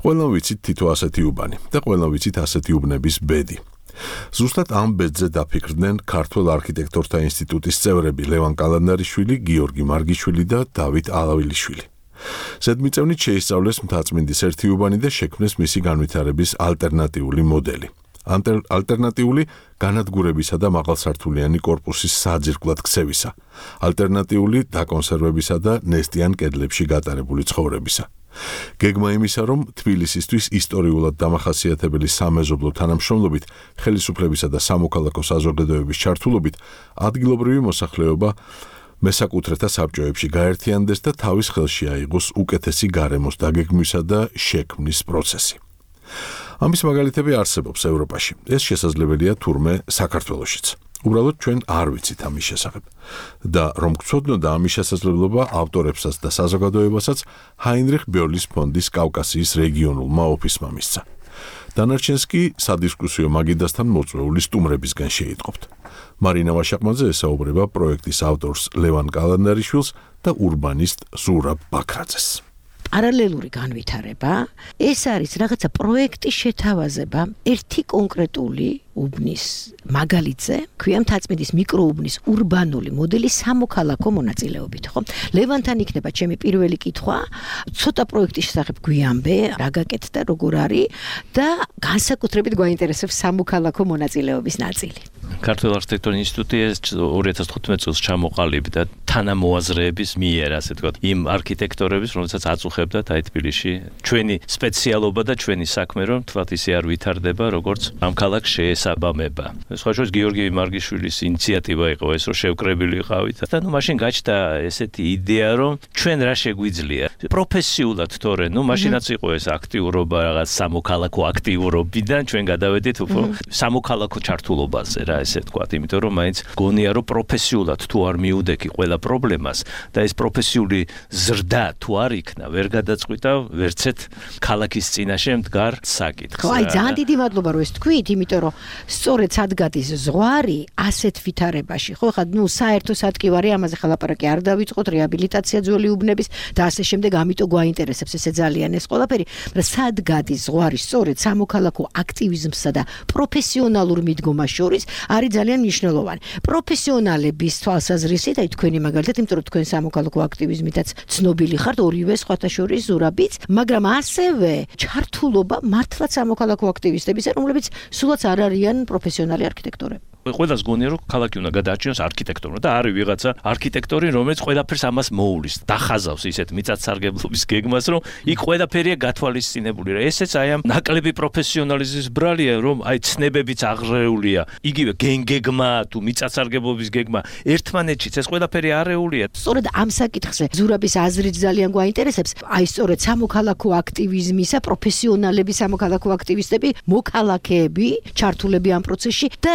ყველამ ვიცით თითო ასეთი უბანი და ყველამ ვიცით ასეთი უბნების ბედი. ზუსტად ამ ბედზე დაფიქრდნენ ქართველ არქიტექტორთა ინსტიტუტის წევრები ლევან კალანდარიშვილი, გიორგი მარგიშვილი და დავით ალავილიშვილი. ზედმიწევნით შეისწავლეს მთაწმინდის ერთი უბანი და შექმნეს მისი განვითარების ალტერნატიული მოდელი. ალტერნატიული განადგურებისა და მაღალსართულიანი კორპუსის საძირკვლად ქცევისა, ალტერნატიული დაკონსერვებისა და ნესტიან კედლებში გატარებული ცხოვრებისა. გეგმა იმისა, რომ თბილისისთვის ისტორიულად დამახასიათებელი სამეზობლო თანამშრომლობით, ხელისუფლებისა და სამოქალაქო საზოგადოების ჩართულობით ადგილობრივი მოსახლეობა მესაკუთრეთა საბჭოებში გაერთიანდეს და თავის ხელში აიღოს უკეთესი გარემოს დაგეგმვისა და შექმნის პროცესი. ამის მაგალითები არსებობს ევროპაში. ეს შესაძლებელია თურმე საქართველოშიც. უბრალოდ ჩვენ არ ვიცით ამის შესახებ. და რომ გწოდნოდა ამის შესაძლებლობა ავტორებსაც და საზოგადოებასაც ჰაინრიხ ბიორლის ფონდის კავკასიის რეგიონულმა ოფისმა მისცა. დანარჩენს კი სადისკუსიო მაგიდასთან მოწვეული სტუმრებისგან შეიტყობთ. მარინა ვაშაყმაძე ესაუბრება პროექტის ავტორს ლევან კალანდარიშვილს და ურბანისტ ზურაბ ბაქრაძეს. პარალელური განვითარება ეს არის რაღაცა პროექტის შეთავაზება ერთი კონკრეტული უბნის მაგალითზე, ქვია მთაწმინდის მიკროუბნის ურბანული მოდელი სამოქალაქო მონაწილეობით, ხო? ლევანთან იქნება ჩემი პირველი კითხვა, ცოტა პროექტის შესახებ გვიამბე, რა გაკეთდა, როგორ არის და განსაკუთრებით გვაინტერესებს სამოქალაქო მონაწილეობის ნაწილი. ქართულ არქიტექტურის ინსტიტუტი 2015 წელს ჩამოყალიბდა თანამოაზრეების მიერ, ასე ვთქვათ, იმ არქიტექტორების, რომელსაც აწუხებდათ აი თბილისში ჩვენი სპეციალობა და ჩვენი საქმე, რომ თვათ ისე არ ვითარდება, როგორც ამ ქალაქს შეესაბამება. სხვა შორის გიორგი მარგიშვილის ინიციატივა იყო ეს, რომ შევკრებილი ვიყავით და ნუ მაშინ გაჩნდა ესეთი იდეა, რომ ჩვენ რა შეგვიძლია პროფესიულად თორე, ნუ მაშინაც იყო ეს აქტიურობა რაღაც სამოქალაქო აქტიურობიდან ჩვენ გადავედით უფრო სამოქალაქო ჩართულობაზე რა ესე ვთქვათ, იმიტომ რომ მაინც გონია რომ პროფესიულად თუ არ მიუდექი ყველა პრობლემას და ეს პროფესიული ზრდა თუ არ იქნა, ვერ გადაწყვიტავ ვერცეთ ქალაქის წინაშე მდგარ საკითხს. ხო, აი ძალიან დიდი მადლობა რომ ეს თქვით, იმიტომ რომ სწორედ სადგადის ზღვარი ასეთ ვითარებაში, ხო, ხა ნუ საერთო სადგივარი ამაზე ხალაპარაკი არ დავიწყოთ, რეაბილიტაცია ძველი უბნების და ასე შემდეგ, ამიტომ გვაინტერესებს ესე ძალიან ეს ყველაფერი, მაგრამ სადგადის ზღვარი სწორედ სამოქალაქო აქტივიზმსა და პროფესიონალურ მიდგომას შორის არის ძალიან მნიშვნელოვანი. პროფესიონალების თვალსაზრისით, აი თქვენი მაგალითად, იმიტომ რომ თქვენ სამოქალაქო აქტივიზმითაც ცნობილი ხართ, ორივე სხვათა შორის ზურაბიც, მაგრამ ასევე ჩართულობა მართლაც სამოქალაქო აქტივისტებისა, რომლებიც სულაც არ არიან პროფესიონალი არქიტექტორები. ყველას გონია რომ ქალაქი უნდა გადაარჩინოს არქიტექტორმა და არის ვიღაცა არქიტექტორი, რომელიც ყველაფერს ამას მოულის, დახაზავს ისეთ მიწათსარგებლობის გეგმას, რომ იქ ყველაფერია გათვალისწინებული. ესეც აი ამ ნაკლები პროფესიონალიზმის ბრალია, რომ აი ცნებებიც აღრეულია. იგივე გეგმა თუ მიწათსარგებლობის გეგმა ერთმანეთშიც ეს ყველაფერი არეულია. სწორედ ამ საკითხზე ზურაბის აზრით ძალიან გვაინტერესებს, აი სწორედ სამოქალაქო აქტივიზმისა, პროფესიონალები, სამოქალაქო აქტივისტები, მოქალაქეები, ჩართულები ამ პროცესში და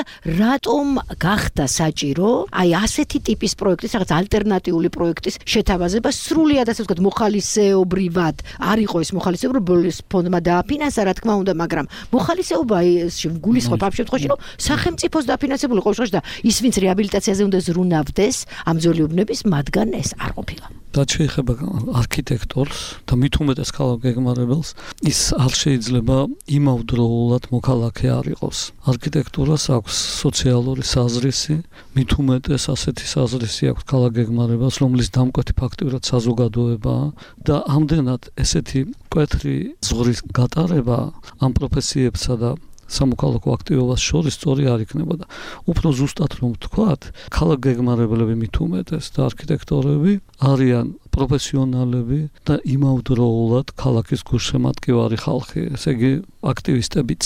რატომ გახდა საჭირო აი ასეთი ტიპის პროექტის, რაღაც ალტერნატიული პროექტის შეთავაზება სრულიად ასე ვთქვათ მოხალისეობრივად. არ იყო ეს მოხალისეობრივი ფონდმა დააფინანსა, რა თქმა უნდა, მაგრამ მოხალისეობა ეს გულისხმობ ამ შემთხვევაში, რომ სახელმწიფოს დაფინანსებული იყო და ის ვინც რეაბილიტაციაზე უნდა ზრუნავდეს ამ ძველი უბნების, მათგან ეს არ ყოფილა. რაც შეეხება არქიტექტორს და მით უმეტეს ქალაქ გეგმარებელს, ის არ შეიძლება იმავდროულად მოქალაქე არ იყოს. არქიტექტურას აქვს სოციალური საზრისი, მით უმეტეს ასეთი საზრისი აქვს ქალაქ გეგმარებელს, რომლის დამკვეთი ფაქტიურად საზოგადოებაა და ამდენად ესეთი მკვეთრი ზღვრის გატარება ამ პროფესიებსა და სამოქალაქო აქტივობას შორის სწორი არ იქნებოდა. უფრო ზუსტად რომ ვთქვათ, ქალაქ გეგმარებლები მით უმეტეს და არქიტექტორები არიან პროფესიონალები და იმავდროულად ქალაქის გულშემატკივარი ხალხი, ესე იგი აქტივისტებიც.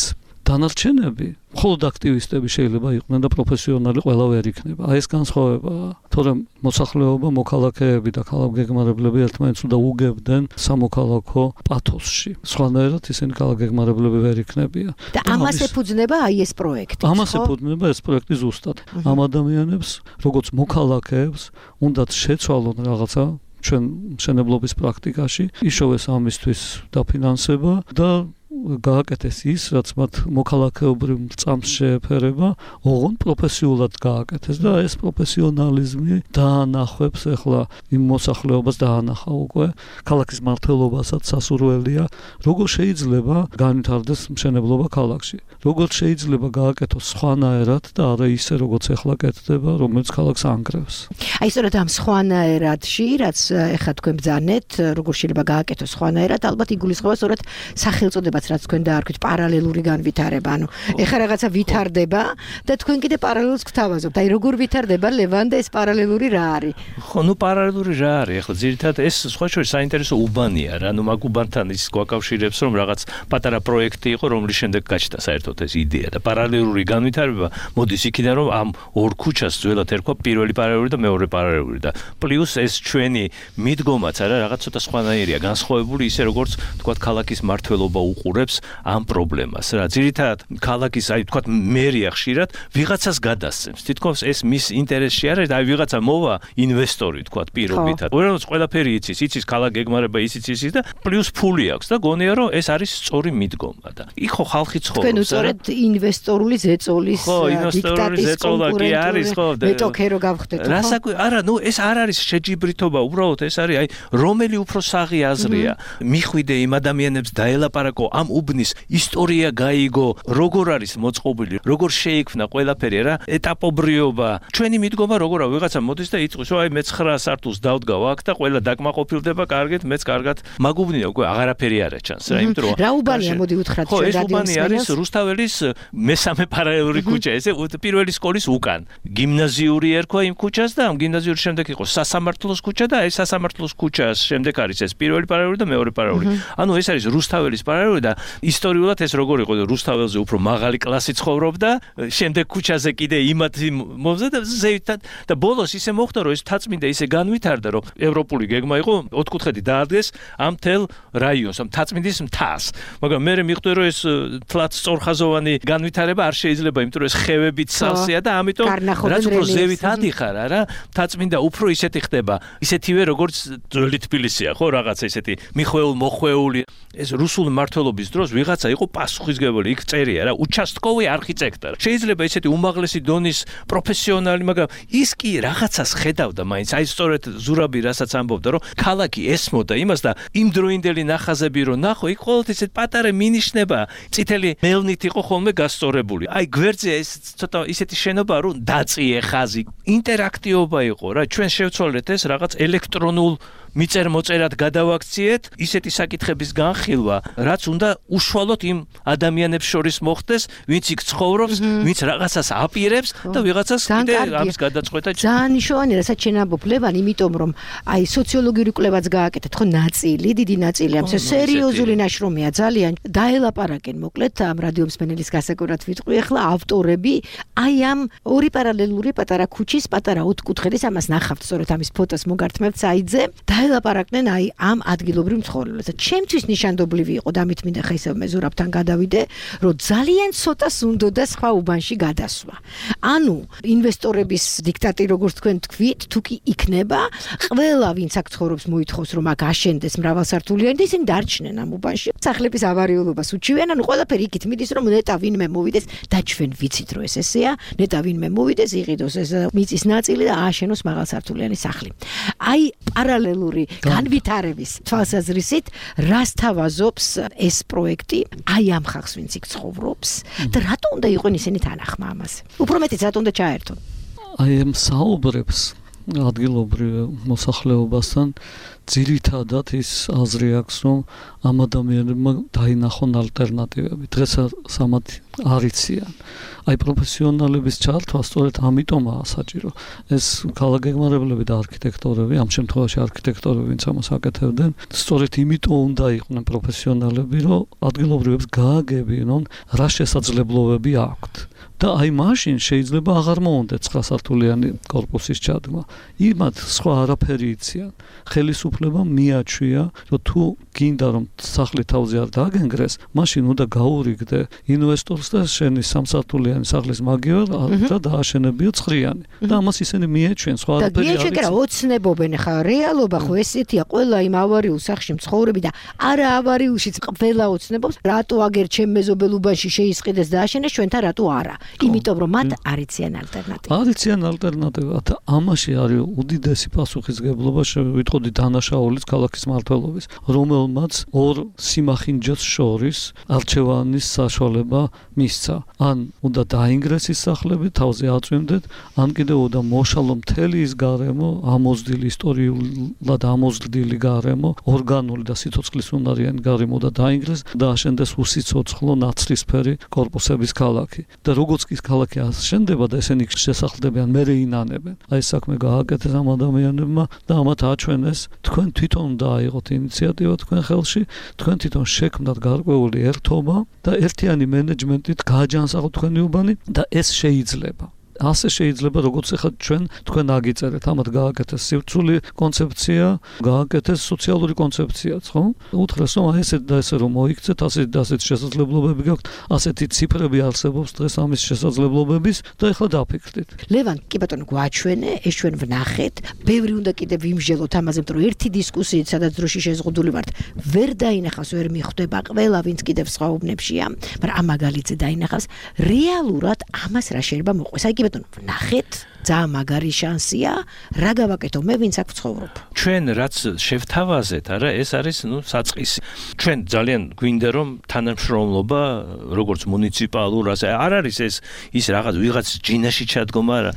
დანარჩენები, მხოლოდ აქტივისტები შეიძლება იყვნენ და პროფესიონალი ყველა ვერ იქნება. აი ეს განსხვავებაა. თორემ მოსახლეობა, მოქალაქეები და ქალაქ გეგმარებლები ერთმანეთს უნდა უგებდნენ სამოქალაქო პათოსში. სხვანაირად ისინი ქალაქ გეგმარებლები ვერ იქნებიან. და ამას ეფუძნება აი ეს პროექტი. ამას ეფუძნება ეს პროექტი ზუსტად. ამ ადამიანებს, როგორც მოქალაქეებს, უნდათ შეცვალონ რაღაცა ჩვენ მშენებლობის პრაქტიკაში, იშოვეს ამისთვის დაფინანსება და გააკეთეს ის, რაც მათ მოქალაქეობრივ წამს შეეფერება, ოღონდ პროფესიულად გააკეთეს და ეს პროფესიონალიზმი დაანახვებს ახლა იმ მოსახლეობას დაანახა უკვე ქალაქის მართლობასაც სასურველია, როგორ შეიძლება განვითარდეს მშენებლობა ქალაქში, როგორ შეიძლება გააკეთოს სხვანაირად და არა ისე როგორც ახლა კეთდება, რომელიც ქალაქს ანგრევს. აი სწორედ ამ სხვანაირადში, რაც ახლა თქვენ ბრძანეთ, როგორ შეიძლება გააკეთოს სხვანაირად, ალბათ იგულისხმება სწორედ სახელწოდებაც რაც თქვენ დაარქვით პარალელური განვითარება, ანუ ეხლა რაღაცა ვითარდება და თქვენ კიდე პარალელს გთავაზობთ. აი როგორ ვითარდება ლევან და ეს პარალელური რა არის? ხო, ნუ პარალელური რა არის? ახლა ძირითადად ეს სხვა შორის საინტერესო უბანია რა, ნუ მაგ უბანთან ის გვაკავშირებს, რომ რაღაც პატარა პროექტი იყო, რომლის შემდეგ გაჩნდა საერთოდ ეს იდეა და პარალელური განვითარება მოდის იქიდან, რომ ამ ორ ქუჩას ძველად ერქვა პირველი პარალელური და მეორე პარალელური და პლუს ეს ჩვენი მიდგომაც არა რაღაც ცოტა სხვანაირია, განსხვავებული ისე როგორც თქვათ ქალაქის მართლობა უყურებს ამ პრობლემას რა ძირითადად ქალაქის აი თქვა მერია ხშირად ვიღაცას გადასცემს თითქოს ეს მის ინტერესში არის და აი ვიღაცა მოვა ინვესტორი თქვა პირობითად უბრალოდ ყველაფერი იცის ქალაქ გეგმარება იცის და პლუს ფული აქვს და გონია რომ ეს არის სწორი მიდგომა და იქ ხო ხალხი ცხოვრობს თქვენ უწორეთ ინვესტორული ზეწოლის დიქტატის კონკურენტული მეტოქე რო გავხდეთ ხო რასაკვირ არა ნუ ეს არ არის შეჯიბრითობა უბრალოდ ეს არის აი რომელი უფრო საღი აზრია მიხვიდე იმ ადამიანებს დაელაპარაკო ამ უბნის ისტორია გაიგო როგორ არის მოწყობილი როგორ შეიქმნა ყველაფერი რა ეტაპობრიობა ჩვენი მიდგომა როგორ არის ვიღაცა მოდის და იწვის რომ აი მე 9 სართულს დავდგავ აქ და ყველა დაკმაყოფილდება კარგად მეც კარგად მაგუბნია უკვე აღარაფერი არა ჩანს რა იმიტომ რომ რა უბანია მოდი უთხრათ ჩვენ რადიოს უბანი არის რუსთაველის მესამე პარალელური ქუჩა ესე პირველი სკოლის უკან გიმნაზიური ერქვა იმ ქუჩას და ამ გიმნაზიურის შემდეგ იყო სასამართლოს ქუჩა და ეს სასამართლოს ქუჩას შემდეგ არის ეს პირველი პარალელური და მეორე პარალელური ანუ ეს არის რუსთაველის პარალელური და ისტორიულად ეს როგორ იყო რუსთაველზე უფრო მაღალი კლასი ცხოვრობდა შემდეგ ქუჩაზე კიდე იმათ მომზადდა და ზევითად და ბოლოს ისე მოხდა რომ ეს თაწმინდა ისე განვითარდა რომ ევროპული გეგმა იყო ოთხკუთხედი დაადგეს ამ თელ რაიონს ამ თაწმინდის მთას მაგრამ მე მიხვდი რომ ეს თლაც სწორხაზოვანი განვითარება არ შეიძლება იმიტომ რომ ეს ხევებით სავსეა და ამიტომ რაც უფრო ზევით ადიხარ რა თაწმინდა უფრო ისეთი ხდება ისეთივე როგორც ძველი თბილისია ხო რაღაცა ისეთი მიხვეულ მოხვეული ეს რუსული მმართველობის დროს ვიღაცა იყო პასუხისმგებელი იქ წერია რა участковый არქიტექტორი შეიძლება ისეთი უმაღლესი დონის პროფესიონალი მაგრამ ის კი რაღაცას ხედავდა მაინც აი სწორედ ზურაბი რასაც ამბობდა რომ ქალაქი ესმოდა იმას და იმ დროინდელი ნახაზები რომ ნახო იქ ყოველთვის ისეთ პატარა მინიშნება წითელი მელნით იყო ხოლმე გასწორებული აი გვერდზე ეს ცოტა ისეთი შენობა რომ დაწიე ხაზი ინტერაქტივობა იყო რა ჩვენ შევცვალეთ ეს რაღაც ელექტრონულ მიწერ-მოწერად გადავაქციეთ ისეთი საკითხების განხილვა, რაც უნდა უშუალოდ იმ ადამიანებს შორის მოხდეს, ვინც იქ ცხოვრობს, ვინც რაღაცას აპირებს და ვიღაცას კიდე ამის გადაწყვეტა. ძალიან მნიშვნელოვანია, რასაც შენ ამბობ, ლევან, იმიტომ რომ აი სოციოლოგიური კვლევაც გააკეთეთ, ხო, ნაწილი, დიდი ნაწილი ამ სერიოზული ნაშრომია, ძალიან დაელაპარაკენ, მოკლედ ამ რადიო მსმენელის გასაგებად ვიტყვი, ახლა ავტორები აი ამ ორი პარალელური პატარა ქუჩის, პატარა ოთხკუთხედის ამას ნახავთ, სწორედ ამის ფოტოს მოგართმევთ საიტზე. დაელაპარაკნენ აი ამ ადგილობრივ მცხოვრებლებს. ჩემთვის ნიშანდობლივი იყო და ამით მინდა ხა ისევ მე ზურაბთან გადავიდე, რომ ძალიან ცოტას უნდა სხვა უბანში გადასვა. ანუ ინვესტორების დიქტატი როგორც თქვენ თქვით, თუ კი იქნება, ყველა ვინც აქ ცხოვრობს მოითხოვს რომ აქ აშენდეს მრავალსართულიანი და ისინი დარჩნენ ამ უბანში. სახლების ავარიულობას უჩივენ, ანუ ყველაფერი იქით მიდის რომ ნეტა ვინმე მოვიდეს და ჩვენ ვიცით რომ ეს ესეა, ნეტა ვინმე მოვიდეს, იყიდოს ეს მიწის ნაწილი და ააშენოს მაღალსართულიანი სახლი. აი პარალელური განვითარების თვალსაზრისით რას თავაზობს ეს პროექტი აი ამ ხალხს ვინც იქ ცხოვრობს და რატო უნდა იყვნენ ისინი თანახმა ამაზე უფრო მეტიც რატო უნდა ჩაერთონ აი ამ საუბრებს ადგილობრივ მოსახლეობასთან ძირითადად ის აზრი აქვს რომ ამ ადამიანებმა დაინახონ ალტერნატივები დღესაც ამათ არ იციან აი პროფესიონალების ჩართვა სწორედ ამიტომაა საჭირო ეს ქალაქგეგმარებლები და არქიტექტორები ამ შემთხვევაში არქიტექტორები ვინც ამას აკეთებდნენ სწორედ იმიტომ უნდა იყვნენ პროფესიონალები რომ ადგილობრივებს გააგებინონ რა შესაძლებლობები აქვთ და აი მაშინ შეიძლება აღარ მოუნდეთ 9 სართულიანი კორპუსის ჩადგმა. იმათ სხვა არაფერი იციან. ხელისუფლებამ მიაჩვია, რომ თუ გინდა რომ სახლი თავზე არ დააგენგრეს, მაშინ უნდა გაურიგდე ინვესტორს და შენი 3 სართულიანი სახლის მაგივრად და დააშენებიო 9-იანი. და ამას ისინი მიეჩვენ სხვა არაფერი არ იციან. და ოცნებობენ ხა რეალობა ხო ესეთია ყველა იმ ავარიულ სახლში მცხოვრები და არა ავარიულშიც ყველა ოცნებობს რატო აგერ ჩემ მეზობელობაში შეისყიდეს და აშენეს ჩვენთან რატო არა. იმიტომ რომ მათ არ იციან ალტერნატივა. არ იციან ალტერნატივა და ამაში არის უდიდესი პასუხისმგებლობა შევიტყოდი დანაშაულის ქალაქის მმართველობის, რომელმაც ორ სიმახინჯოს შორის არჩევანის საშუალება მისცა. ან უნდა დაინგრეს ის სახლები, თავზე აწვიმდეთ, ან კიდევ უნდა მოშალო მთელი ის გარემო, ამოზრდილი ისტორიულად ამოზრდილი გარემო, ორგანული და სიცოცხლის უნარიანი გარემო და დაინგრეს და აშენდეს უსიცოცხლო ნაცრისფერი კორპუსების ქალაქი. და როგორც ის ქალაქი აშენდება და ესენი შესახლდებიან მერე ინანებენ. აი საქმე გააკეთეს ამ ადამიანებმა და ამათ აჩვენეს თქვენ თვითონ დააიღოთ ინიციატივა თქვენ ხელში, თქვენ თვითონ შექმნათ გარკვეული ერთობა და ერთიანი მენეჯმენტით გააჯანსაღოთ თქვენი უბანი და ეს შეიძლება. ასე შეიძლება როგორც ახლა თქვენ აგიწერეთ, ამათ გააკეთეს სივრცული კონცეფცია, გააკეთეს სოციალური კონცეფციაც, ხო? უთხრეს რომ აი ესეთ და ესე რომ მოიქცეთ, ასეთ და ასეთ შესაძლებლობები გაქვთ, ასეთი ციფრები არსებობს დღეს ამის შესაძლებლობების და ახლა დაფიქრდით. ლევან, კი ბატონო, გვაჩვენე, ეს ჩვენ ვნახეთ. ბევრი უნდა კიდევ ვიმსჯელოთ ამაზე, რომ ერთი დისკუსიით, სადაც დროში შეზღუდული ვართ, ვერ დაინახავს, ვერ მიხვდება ყველა, ვინც კიდევ სხვა უბნებშია, მაგრამ ამ მაგალითზე დაინახავს. რეალურად ამას რა შეიძლება მოყვეს? აი კი ბატონო, ვნახეთ. ძალიან მაგარი შანსია, რა გავაკეთო მე, ვინც აქ ვცხოვრობ. ჩვენ რაც შევთავაზეთ, არა, ეს არის, საწყისი. ჩვენ ძალიან გვინდა რომ თანამშრომლობა, როგორც მუნიციპალურ, ასე არ არის ეს ის რაღაც ვიღაც ჯინაში ჩადგომა, არა.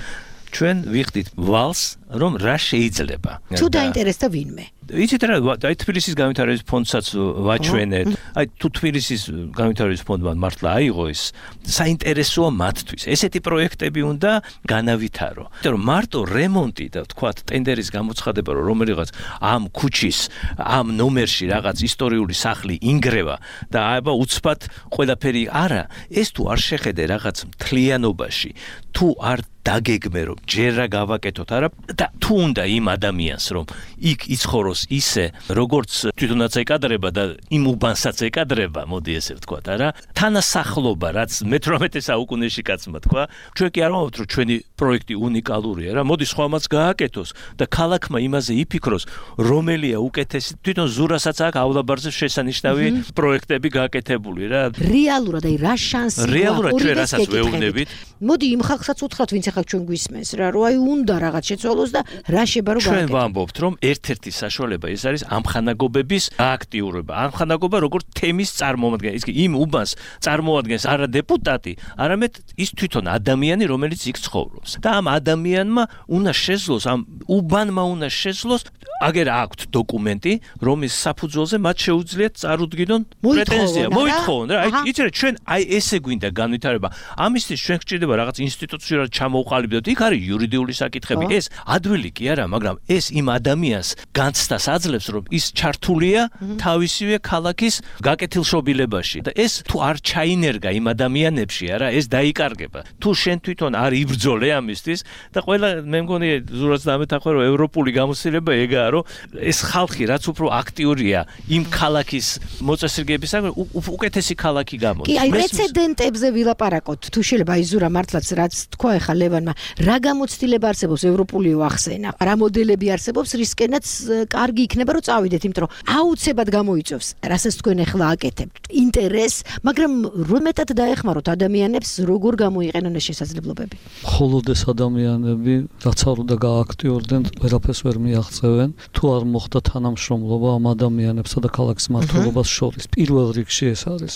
ჩვენ ვიხდით ვალს, რომ რა შეიძლება. თუ დაინტერესდა ვინმე. იცით რა, აი თბილისის განვითარების ფონდსაც ვაჩვენეთ. აი თუ თბილისის განვითარების ფონდმა მართლა აიღო ეს, საინტერესოა მათთვის. ესეთი პროექტები უნდა განავითარო. იმიტომ რომ მარტო რემონტი და თქვათ ტენდერის გამოცხადება, რომელიღაც ამ ქუჩის, ამ ნომერში რაღაც ისტორიული სახლი ინგრევა და აბა უცბად ყველაფერი არა, ეს თუ არ შეხედე რაღაც მთლიანობაში, თუ არ დაგეგმე რომ ჯერ რა გავაკეთოთ არა და თუ უნდა იმ ადამიანს რომ იქ იცხოვროს ისე როგორც თვითონაც ეკადრება და იმ უბანსაც ეკადრება, მოდი ესე ვთქვათ, არა? თანასახლობა, რაც მე-18 საუკუნეში კაცმა თქვა, ჩვენ კი არ ვამბობთ, რომ ჩვენი პროექტი უნიკალურია, რა, მოდი სხვამაც გააკეთოს და ქალაქმა იმაზე იფიქროს, რომელია უკეთესი. თვითონ ზურასაც აქვსავლაბარზე შესანიშნავი პროექტები გააკეთებული, რა. რეალურად აი რა შანსია? რეალურად ჩვენ რასაც ვეუბნებით. მოდი იმ ხალხსაც უთხრათ, ვინც ახლა ჩვენ გვისმენს რა, რომ აი უნდა რაღაც შეცვალოს და რა შეიძლება რომ ჩვენ ვამბობთ, რომ ერთ-ერთი საშუალება ეს არის ამხანაგობების აქტიურობა. ამხანაგობა როგორც თემის წარმოადგენს. ის კი იმ უბანს წარმოადგენს არა დეპუტატი, არამედ ის თვითონ ადამიანი, რომელიც იქ ცხოვრობს. და ამ ადამიანმა უნდა შეძლოს, ამ უბანმა უნდა შეძლოს, აგერ აქვთ დოკუმენტი, რომის საფუძველზე მათ შეუძლიათ წარუდგინონ პრეტენზია, მოითხოვონ რა. იცით რა, ჩვენ აი ესე გვინდა განვითარება. ამისთვის ჩვენ გვჭირდება რაღაც ინსტიტუციურად ჩამოვყალიბდეთ. იქ არის იურიდიული საკითხები. ეს ადვილი კი არა, მაგრამ ეს იმ ადამიანს განცდას აძლევს, რომ ის ჩართულია თავისივე ქალაქის გაკეთილშობილებაში და ეს თუ არ ჩაინერგა იმ ადამიანებში, არა, ეს დაიკარგება. თუ შენ თვითონ არ იბრძოლე ამისთვის და ყველა მე მგონი ზურაც დამეთახვა, რომ ევროპული გამოცდილება ეგაა, რომ ეს ხალხი რაც უფრო აქტიურია იმ ქალაქის მოწესრიგებისაგან, უკეთესი ქალაქი გამოდის. კი, აი პრეცედენტებზე ვილაპარაკოთ. თუ შეიძლება აი ზურა მართლაც რაც თქვა ახლა ლევანმა, რა გამოცდილება არსებობს ევროპული ახსენა, რა მოდელები არსებობს, რისკენაც კარგი იქნება რომ წავიდეთ, იმიტომ რომ აუცილებლად გამოიწვევს, რასაც თქვენ ახლა აკეთებთ. ინტერესს, მაგრამ რომ მეტად დაეხმაროთ ადამიანებს, როგორ გამოიყენონ ეს შესაძლებლობები. მხოლოდ ეს ადამიანები, რაც არ უნდა გააქტიურდნენ, ვერაფერს ვერ მიაღწევენ, თუ არ მოხდა თანამშრომლობა ამ ადამიანებსა და ქალაქის მმართველობას შორის. პირველ რიგში ეს არის.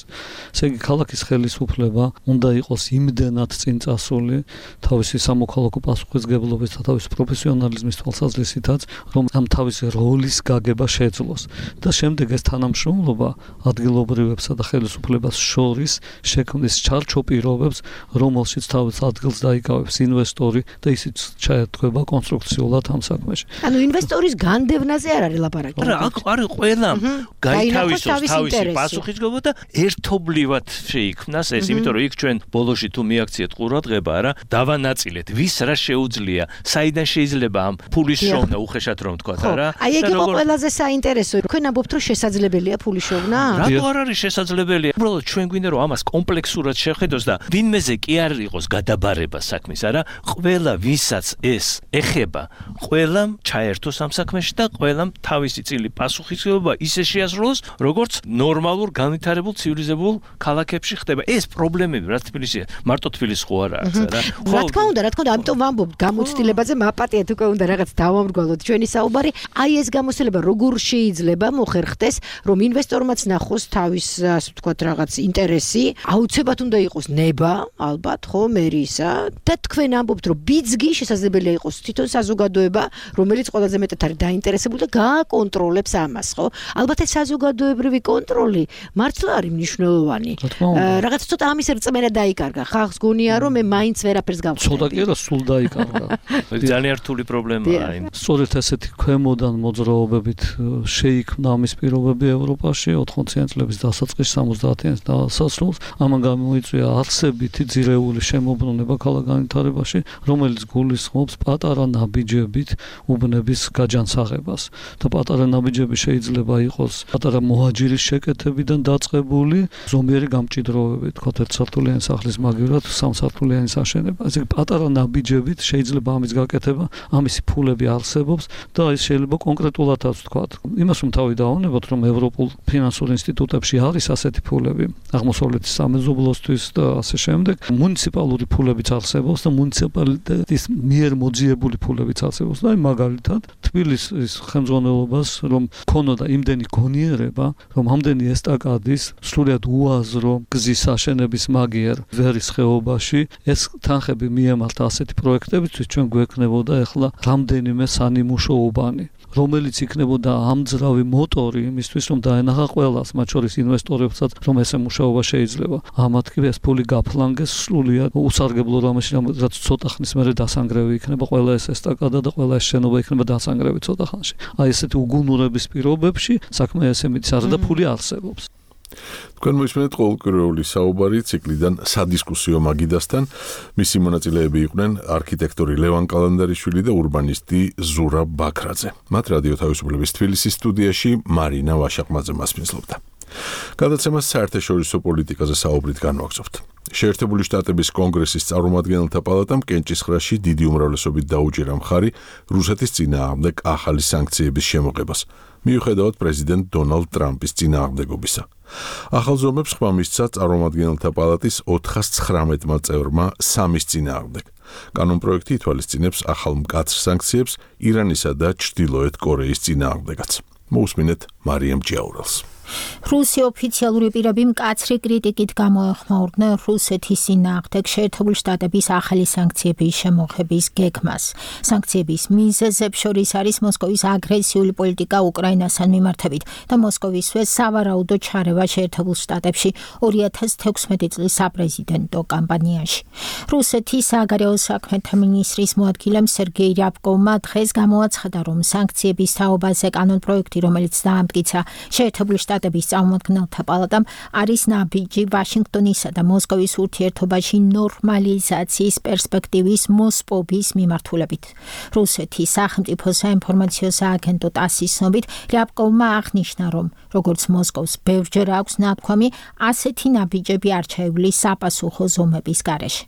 ესე იგი, ქალაქის ხელისუფლება უნდა იყოს იმდენად წინ წასული თავისი სამოქალაქო პასუხისმგებლობის და თავისი პროფესიონალიზმის თვალსაზრისითაც, რომ ამ თავისი როლის გაგება შეძლოს და შემდეგ ეს თანამშრომლობა ადგილობრივებსა და ხელისუფლებას შორის შექმნის ჩარჩო პირობებს, რომელშიც თავის ადგილს დაიკავებს ინვესტორი და ისიც ჩაერთვება კონსტრუქციულად ამ საქმეში. ანუ ინვესტორის განდევნაზე არ არის ლაპარაკი. არა, აქ არის ყველა გაითავისოს თავისი პასუხისმგებლობა და ერთობლივად შეიქმნას ეს, იმიტომ რომ იქ ჩვენ ბოლოში თუ მიაქციეთ ყურადღება, არა, დავანაწილეთ, ვის რა შეუძლია, საიდან შეიძლება ამ ფულის შოვნა უხეშად რომ თქვათ, არა? აი ეგ იყო ყველაზე საინტერესო. თქვენ ამბობთ, რომ შესაძლებელია ფულის შოვნა? რატო არ არის შესაძლებელია? უბრალოდ ჩვენ გვინდა რომ ამას კომპლექსურად შეხედოს და ვინმეზე კი არ იყოს გადაბარება საქმის, არა? ყველა ვისაც ეს ეხება, ყველამ ჩაერთოს ამ საქმეში და ყველამ თავისი წილი პასუხისმგებლობა ისე შეასრულოს, როგორც ნორმალურ განვითარებულ ცივილიზებულ ქალაქებში ხდება. ეს პრობლემები რა თბილისია, მარტო თბილისს ხო არა აქვს, არა? რა თქმა უნდა, ამიტომ ვამბობ, გამოცდილებაზე მაპატიეთ უკვე უნდა რაღაც დავამრგვალოთ ჩვენი საუბარი. აი ეს გამოცდილება როგორ შეიძლება მოხერხდეს, რომ ინვესტორმაც ნახოს თავის, ასე ვთქვათ, რაღაც ინტერესი, აუცილებლად უნდა იყოს ნება, ალბათ, ხო, მერისა და თქვენ ამბობთ, რომ ბიძგი შესაძლებელია იყოს თვითონ საზოგადოება საზოგადოება, რომელიც ყველაზე მეტად არის დაინტერესებული და გააკონტროლებს ამას, ხო? ალბათ ეს საზოგადოებრივი კონტროლი მართლა არის მნიშვნელოვანი. რაღაც ცოტა ამის რწმენა დაიკარგა. ხალხს გონია რომ მე მაინც ვერაფერს გავხდები. ცოტა კი არა, სულ დაიკარგა. ძალიან რთული პრობლემაა. სწორედ ესეთი ქვემოდან მოძრაობებით შეიქმნა ამის პირობები ევროპაში 80-იან წლების დასაწყისში 70-იან დასასრულს. ამან გამოიწვია არსებითი ძირეული შემოbrunება ქალაქ განვითარებაში, რომელიც გულისხმობს პატარა ნაბიჯებით უბნების გაჯანსაღებას. და პატარა ნაბიჯები შეიძლება იყოს პატარა მოაჯირის შეკეთებიდან დაწყებული ზომიერი გამჭიდროვებით, თქოთ ერთსართულიანი სახლის მაგივრად სამსართულიანი აშენება. ესე პატარა ნაბიჯებით შეიძლება ამის გაკეთება, ამისი ფულები არსებობს და ეს შეიძლება კონკრეტულადაც ვთქვათ. იმას რომ თავი დავუნებოთ, რომ ევროპულ ფინანსურ ინსტიტუტებში არის ასეთი ფულები, აღმოსავლეთის სამეზობლოსთვის და ასე შემდეგ. მუნიციპალური ფულებიც არსებობს და მუნიციპალიტეტის მიერ მოძიებული ფულებიც არსებობს. და მაგალითად, თბილისის ხელმძღვანელობას რომ ქონოდა იმდენი გონიერება, რომ ამდენი ესტაკადის სრულიად უაზრო გზის აშენების მაგიერ ვერის ხეობაში ეს თანხები მიემართა ასეთი პროექტებისთვის, ჩვენ გვექნებოდა ახლა რამდენიმე სანიმუშო უბანი, რომელიც იქნებოდა ამძრავი მოტორი იმისთვის, რომ დაენახა ყველას, მათ შორის ინვესტორებსაც, რომ ესე მუშაობა შეიძლება. ამათქვე ეს ფული გაფლანგეს სრულიად უსარგებლო რამეში, რაც ცოტა ხნის მერე დასანგრევი იქნება ყველა ეს ესტაკადა და ყველა ეს შენობა იქნება დასანგრევი ცოტა ხანში. აი ესეთი უგუნურების პირობებში საქმე ესე მიდის არა და ფული არსებობს. თქვენ მოისმენთ ყოველკვირეული საუბარი ციკლიდან სადისკუსიო მაგიდასთან. მისი მონაწილეები იყვნენ არქიტექტორი ლევან კალანდარიშვილი და ურბანისტი ზურა ბაქრაძე. მათ რადიო თავისუფლების თბილისის სტუდიაში მარინა ვაშაყმაძე მასპინძლობდა. გადაცემას საერთაშორისო პოლიტიკაზე საუბრით განვაგრძობთ. შეერთებული შტატების კონგრესის წარმომადგენელთა პალატამ კენჭისყრაში დიდი უმრავლესობით დაუჭირა მხარი რუსეთის წინააღმდეგ ახალი სანქციების შემოღებას, მიუხედავად პრეზიდენტ დონალდ ტრამპის წინააღმდეგობისა. ახალ ზომებს ხმა მისცა წარმომადგენელთა პალატის 419 წევრმა სამის წინააღმდეგ. კანონპროექტი ითვალისწინებს ახალ მკაცრ სანქციებს ირანისა და ჩრდილოეთ კორეის წინააღმდეგაც. მოусმინეთ მარიამ ჯაურელს. რუსი ოფიციალური პირები მკაცრი კრიტიკით გამოეხმაურდნენ რუსეთის წინააღმდეგ შეერთებული შტატების ახალი სანქციების შემოღების გეგმას. სანქციების მიზეზებს შორის არის მოსკოვის აგრესიული პოლიტიკა უკრაინასთან მიმართებით და მოსკოვისვე სავარაუდო ჩარევა შეერთებულ შტატებში 2016 წლის საპრეზიდენტო კამპანიაში. რუსეთის საგარეო საქმეთა მინისტრის მოადგილემ სერგეი რიაბკოვმა დღეს გამოაცხადა, რომ სანქციების თაობაზე კანონპროექტი, რომელიც დაამტკიცა შეერთებული შტატების წარმომადგენელთა პალატამ, არის ნაბიჯი ვაშინგტონისა და მოსკოვის ურთიერთობაში ნორმალიზაციის პერსპექტივის მოსპობის მიმართულებით. რუსეთის სახელმწიფო საინფორმაციო სააგენტო TASS-ის ცნობით, რიაბკოვმა აღნიშნა, რომ როგორც მოსკოვს ბევრჯერ აქვს ნათქვამი, ასეთი ნაბიჯები არჩეული საპასუხო ზომების გარეშე.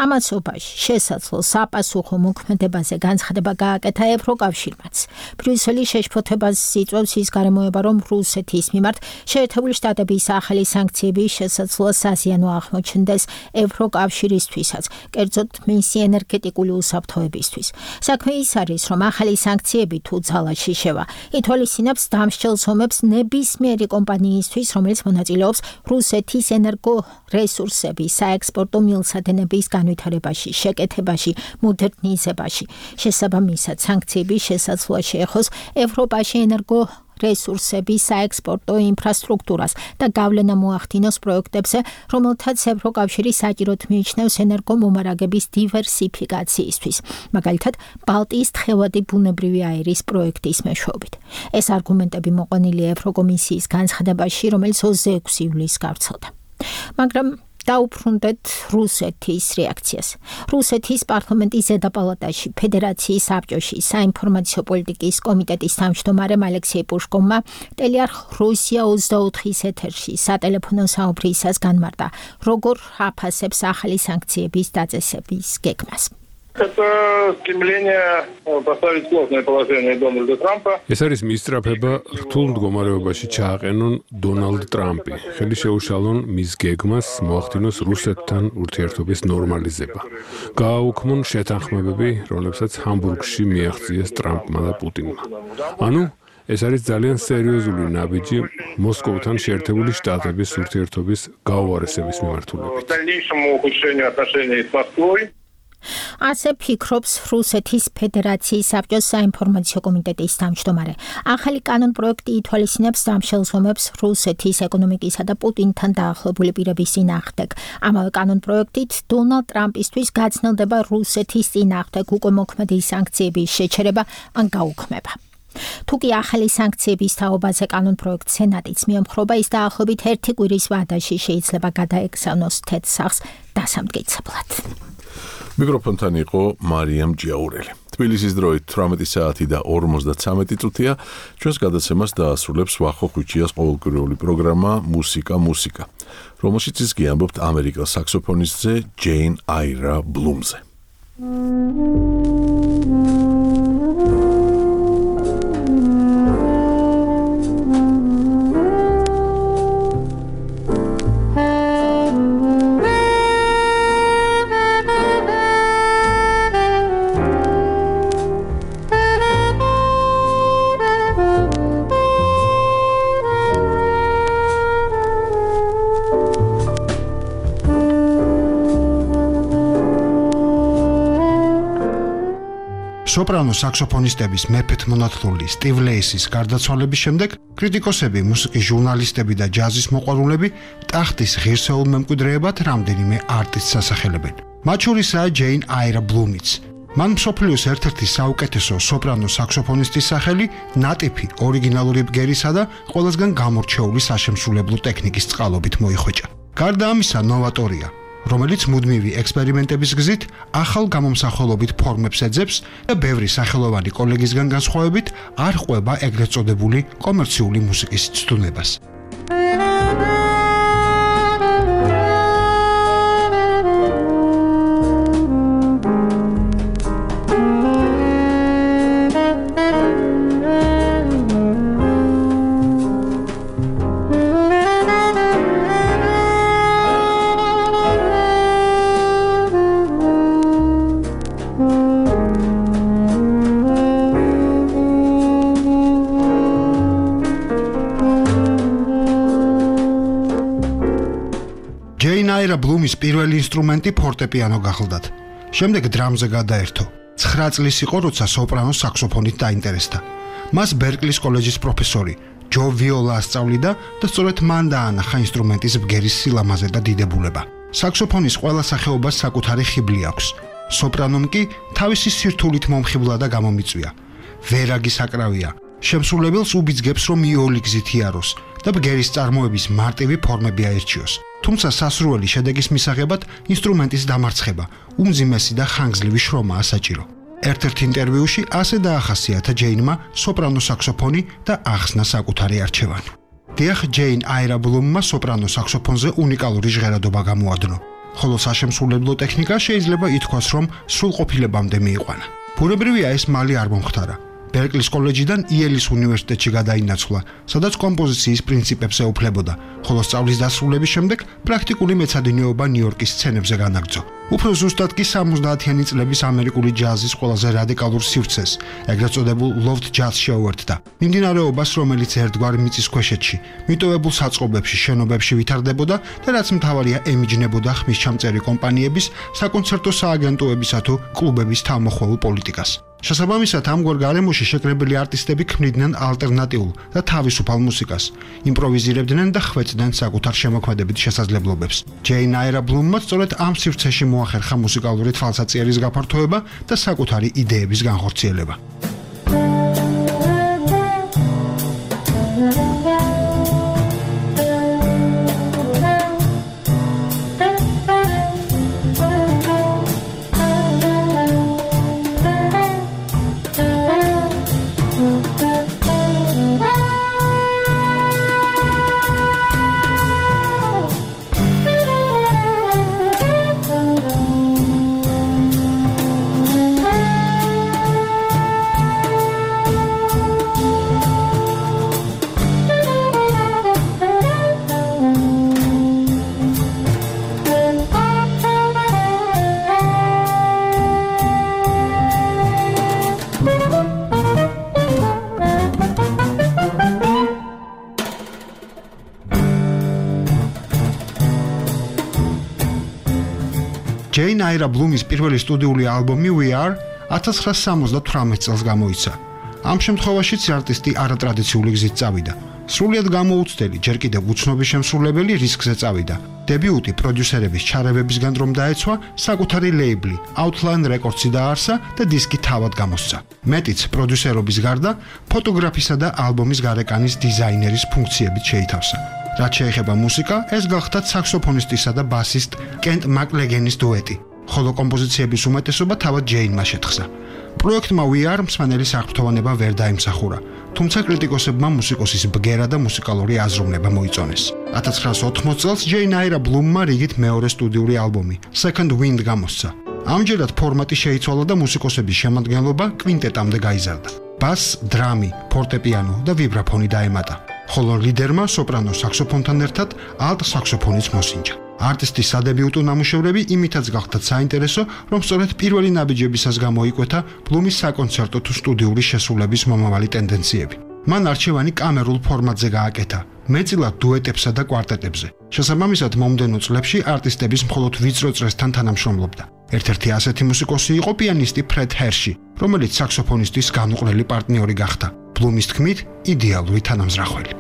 ამასობაში შესაძლო საპასუხო მოქმედებაზე განცხადება გააკეთა ევროკავშირმაც. ბრიუსელი შეშფოთებას იწვევს ის გარემოება, რომ რუსეთის მიმართ შეერთებული შტატების ახალი სანქციები შესაძლოა საზიანო აღმოჩნდეს ევროკავშირისთვისაც, კერძოდ მისი ენერგეტიკული უსაფრთხოებისთვის. საქმე ის არის, რომ ახალი სანქციები თუ ძალაში შევა, ითვალისწინებს დამსჯელ ზომებს ნებისმიერი კომპანიისთვის, რომელიც მონაწილეობს რუსეთის ენერგორესურსების საექსპორტო მილსადენების განვითარებაში, შეკეთებაში, მოდერნიზებაში. შესაბამისად, სანქციები შესაძლოა შეეხოს ევროპაში ენერგორესურსების საექსპორტო ინფრასტრუქტურას და გავლენა მოახდინოს პროექტებზე, რომელთაც ევროკავშირი საჭიროდ მიიჩნევს ენერგომომარაგების დივერსიფიკაციისთვის, მაგალითად, ბალტიის თხევადი ბუნებრივი აირის პროექტის მეშვეობით. ეს არგუმენტები მოყვანილია ევროკომისიის განცხადებაში, რომელიც 26 ივლისს გავრცელდა. მაგრამ დაუბრუნდეთ რუსეთის რეაქციას. რუსეთის პარლამენტის ზედა პალატაში ფედერაციის საბჭოში საინფორმაციო პოლიტიკის კომიტეტის თავმჯდომარემ ალექსეი პუშკოვმა ტელეარხ რუსია 24-ის ეთერში სატელეფონო საუბრისას განმარტა, როგორ აფასებს ახალი სანქციების დაწესების გეგმას. Это стремление поставить сложное положение Дональда Трампа. ეს არის მისწრაფება რთულ მდგომარეობაში ჩააყენონ დონალდ ტრამპი. ხელი შეუშალონ მის გეგმას მოახდინოს რუსეთთან ურთიერთობის ნორმალიზება. გააუქმონ შეთანხმებები, რომლებსაც ჰამბურგში მიაღწიეს ტრამპმა და პუტინმა. ანუ ეს არის ძალიან სერიოზული ნაბიჯი მოსკოვთან შეერთებული შტატების ურთიერთობის გაუარესების მიმართულებით. Дальнейшему ухудшению отношений с Москвой. ასე ფიქრობს რუსეთის ფედერაციის საბჭოს საინფორმაციო კომიტეტის თავმჯდომარე. ახალი კანონპროექტი ითვალისწინებს ამ შეზღუდვებს რუსეთის ეკონომიკისა და პუტინთან დაახლოებული პირების წინააღმდეგ. ამავე კანონპროექტით დონალდ ტრამპისთვის გაცნელდება რუსეთის წინააღმდეგ უკვე მოქმედი სანქციების შეჩერება ან გაუქმება. თუკი ახალი სანქციების თაობაზე კანონპროექტს სენატიც მიემხრობა, ის დაახლოებით 1 კვირის ვადაში შეიძლება გადაეგზავნოს თეთრ დასამტკიცებლად. მიკროფონთან იყო მარიამ ჯიაურელი. თბილისის დროით 18 საათი და 53 წუთია. ჩვენს გადაცემას დაასრულებს ვახო ხვიჩიას ყოველკვირეული პროგრამა მუსიკა, რომელშიც ის გიამბობთ ამერიკელ საქსოფონისტზე ჯეინ აირა ბლუმზე. სოპრანო საქსოფონისტების მეფეთ მონათლული სტივ ლეისის გარდაცვალების შემდეგ კრიტიკოსები, მუსიკის ჟურნალისტები და ჯაზის მოყვარულები ტახტის ღირსეულ მემკვიდრეებად რამდენიმე არტისტს ასახელებენ. მათ შორისაა ჯეინ აირა ბლუმიც. მან მსოფლიოს ერთ-ერთი საუკეთესო სოპრანო საქსოფონისტის სახელი ნატიფი ორიგინალური ბგერისა და ყველასგან გამორჩეული საშემსრულებლო ტექნიკის წყალობით მოიხვეჭა. გარდა ამისა, ნოვატორია, რომელიც მუდმივი ექსპერიმენტების გზით ახალ გამომსახველობით ფორმებს ეძებს და ბევრი სახელოვანი კოლეგისგან განსხვავებით არ ყვება ეგრეთ წოდებული კომერციული მუსიკის ცდუნებას. აირა ბლუმის პირველი ინსტრუმენტი ფორტეპიანო გახლდათ. შემდეგ დრამზე გადაერთო. 9 წლის იყო, როცა სოპრანო საქსოფონით დაინტერესდა. მას ბერკლის კოლეჯის პროფესორი ჯო ვიოლა ასწავლიდა და სწორედ მან დაანახა ინსტრუმენტის ბგერის სილამაზე და დიდებულება. საქსოფონის ყველა სახეობას საკუთარი ხიბლი აქვს. სოპრანომ კი თავისი სირთულით მომხიბლა და გამომიწვია. ვერაგი საკრავია. შემსრულებელს უბიძგებს, რომ იოლი გზით იაროს და ბგერის წარმოების მარტივი ფორმები აერჩიოს. თუმცა სასურველი შედეგის მისაღებად ინსტრუმენტის დამარცხება, უმძიმესი და ხანგრძლივი შრომაა საჭირო. ერთ-ერთ ინტერვიუში ასე დაახასიათა ჯეინმა სოპრანო საქსოფონი და ახსნა საკუთარი არჩევანი. დიახ, ჯეინ აირა ბლუმმა სოპრანო საქსოფონზე უნიკალური ჟღერადობა გამოადნო, ხოლო საშემსრულებლო ტექნიკა შეიძლება ითქვას, რომ სრულყოფილებამდე მიიყვანა. ბუნებრივია, ეს მალე არ მომხდარა. ბერკლის კოლეჯიდან იელის უნივერსიტეტში გადაინაცვლა, სადაც კომპოზიციის პრინციპებს ეუფლებოდა, ხოლო სწავლის დასრულების შემდეგ პრაქტიკული მეცადინეობა ნიუ-იორკის სცენებზე განაგრძო. უფრო ზუსტად კი 70-იანი წლების ამერიკული ჯაზის ყველაზე რადიკალურ სივრცეს, ეგრეთ წოდებულ loft jazz შეუერთდა. მიმდინარეობას, რომელიც ერთგვარ მიწისქვეშეთში, მიტოვებულ საწყობებში, შენობებში ვითარდებოდა და რაც მთავარია ემიჯნებოდა ხმისჩამწერი კომპანიების, საკონცერტო სააგენტოებისა თუ კლუბების თავმოხვეულ პოლიტიკას. შესაბამისად, ამგვარ გარემოში შეკრებილი არტისტები ქმნიდნენ ალტერნატიულ და თავისუფალ მუსიკას, იმპროვიზირებდნენ და ხვეწდნენ საკუთარ შემოქმედებით შესაძლებლობებს. ჯეინ აირა ბლუმმა სწორედ ამ სივრცეში მოახერხა მუსიკალური თვალსაწიერის გაფართოება და საკუთარი იდეების განხორციელება. ჯეინ აირა ბლუმის პირველი სტუდიური ალბომი We Are 1978 წელს გამოიცა. ამ შემთხვევაშიც არტისტი არატრადიციული გზით წავიდა. სრულიად გამოუცდელი, ჯერ კიდევ უცნობი შემსრულებელი რისკზე წავიდა. დებიუტი პროდიუსერების ჩარევებისგან რომ დაეცვა, საკუთარი ლეიბლი Outline Records-ი დაარსა და დისკი თავად გამოსცა. მეტიც პროდიუსერობის გარდა, ფოტოგრაფისა და ალბომის გარეკანის დიზაინერის ფუნქციებით შეითავსა. რაც შეეხება მუსიკა, ეს გახდა საქსოფონისტისა და ბასისტ კენტ მაკლეგენის დუეტი, ხოლო კომპოზიციების უმეტესობა თავად ჯეინმა შეთხზა. პროექტმა We Are მსმენელი საერთოვანება ვერ დაიმსახურა, თუმცა კრიტიკოსებმა მუსიკოსის ბგერა და მუსიკალური აზროვნება მოიწონეს. 1980 წელს ჯეინ აირა ბლუმმა რიგით მეორე სტუდიური ალბომი Second Wind გამოსცა. ამჯერად ფორმატი შეიცვალა და მუსიკოსების შემადგენლობა კვინტეტამდე გაიზარდა. ბას, დრამი, ფორტეპიანო და ვიბრაფონი დაემატა, ხოლო ლიდერმა სოპრანო საქსოფონთან ერთად ალტ საქსოფონიც მოსინჯა. არტისტის სადებიუტო ნამუშევრები იმითაც გახდათ საინტერესო, რომ სწორედ პირველი ნაბიჯებისას გამოიკვეთა ბლუმის საკონცერტო თუ სტუდიური შესრულების მომავალი ტენდენციები. მან არჩევანი კამერულ ფორმატზე გააკეთა, მეტწილად დუეტებსა და კვარტეტებზე. შესაბამისად, მომდევნო წლებში არტისტების მხოლოდ ვიწრო წრესთან თანამშრომლობდა. ერთ-ერთი ასეთი მუსიკოსი იყო პიანისტი ფრედ ჰერში, რომელიც საქსოფონისტის განუყრელი პარტნიორი გახდა. ბლუმის თქმით, იდეალური თანამზრახველი.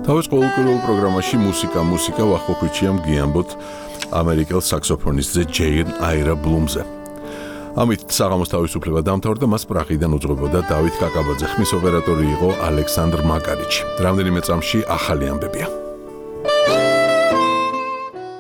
თავის ყოველკვირეულ პროგრამაში მუსიკა ვახყოფიჩიამ გიამბოთ ამერიკელ საქსოფონისტზე ჯეინ აირა ბლუმზე. ამით საღამოს თავისუფლება დამთავრდა, მას პრაღიდან უძღვებოდა დავით კაკაბაძე, ხმის ოპერატორი იყო ალექსანდრ მაკარიჩი. რამდენიმე წამში ახალი ამბებია.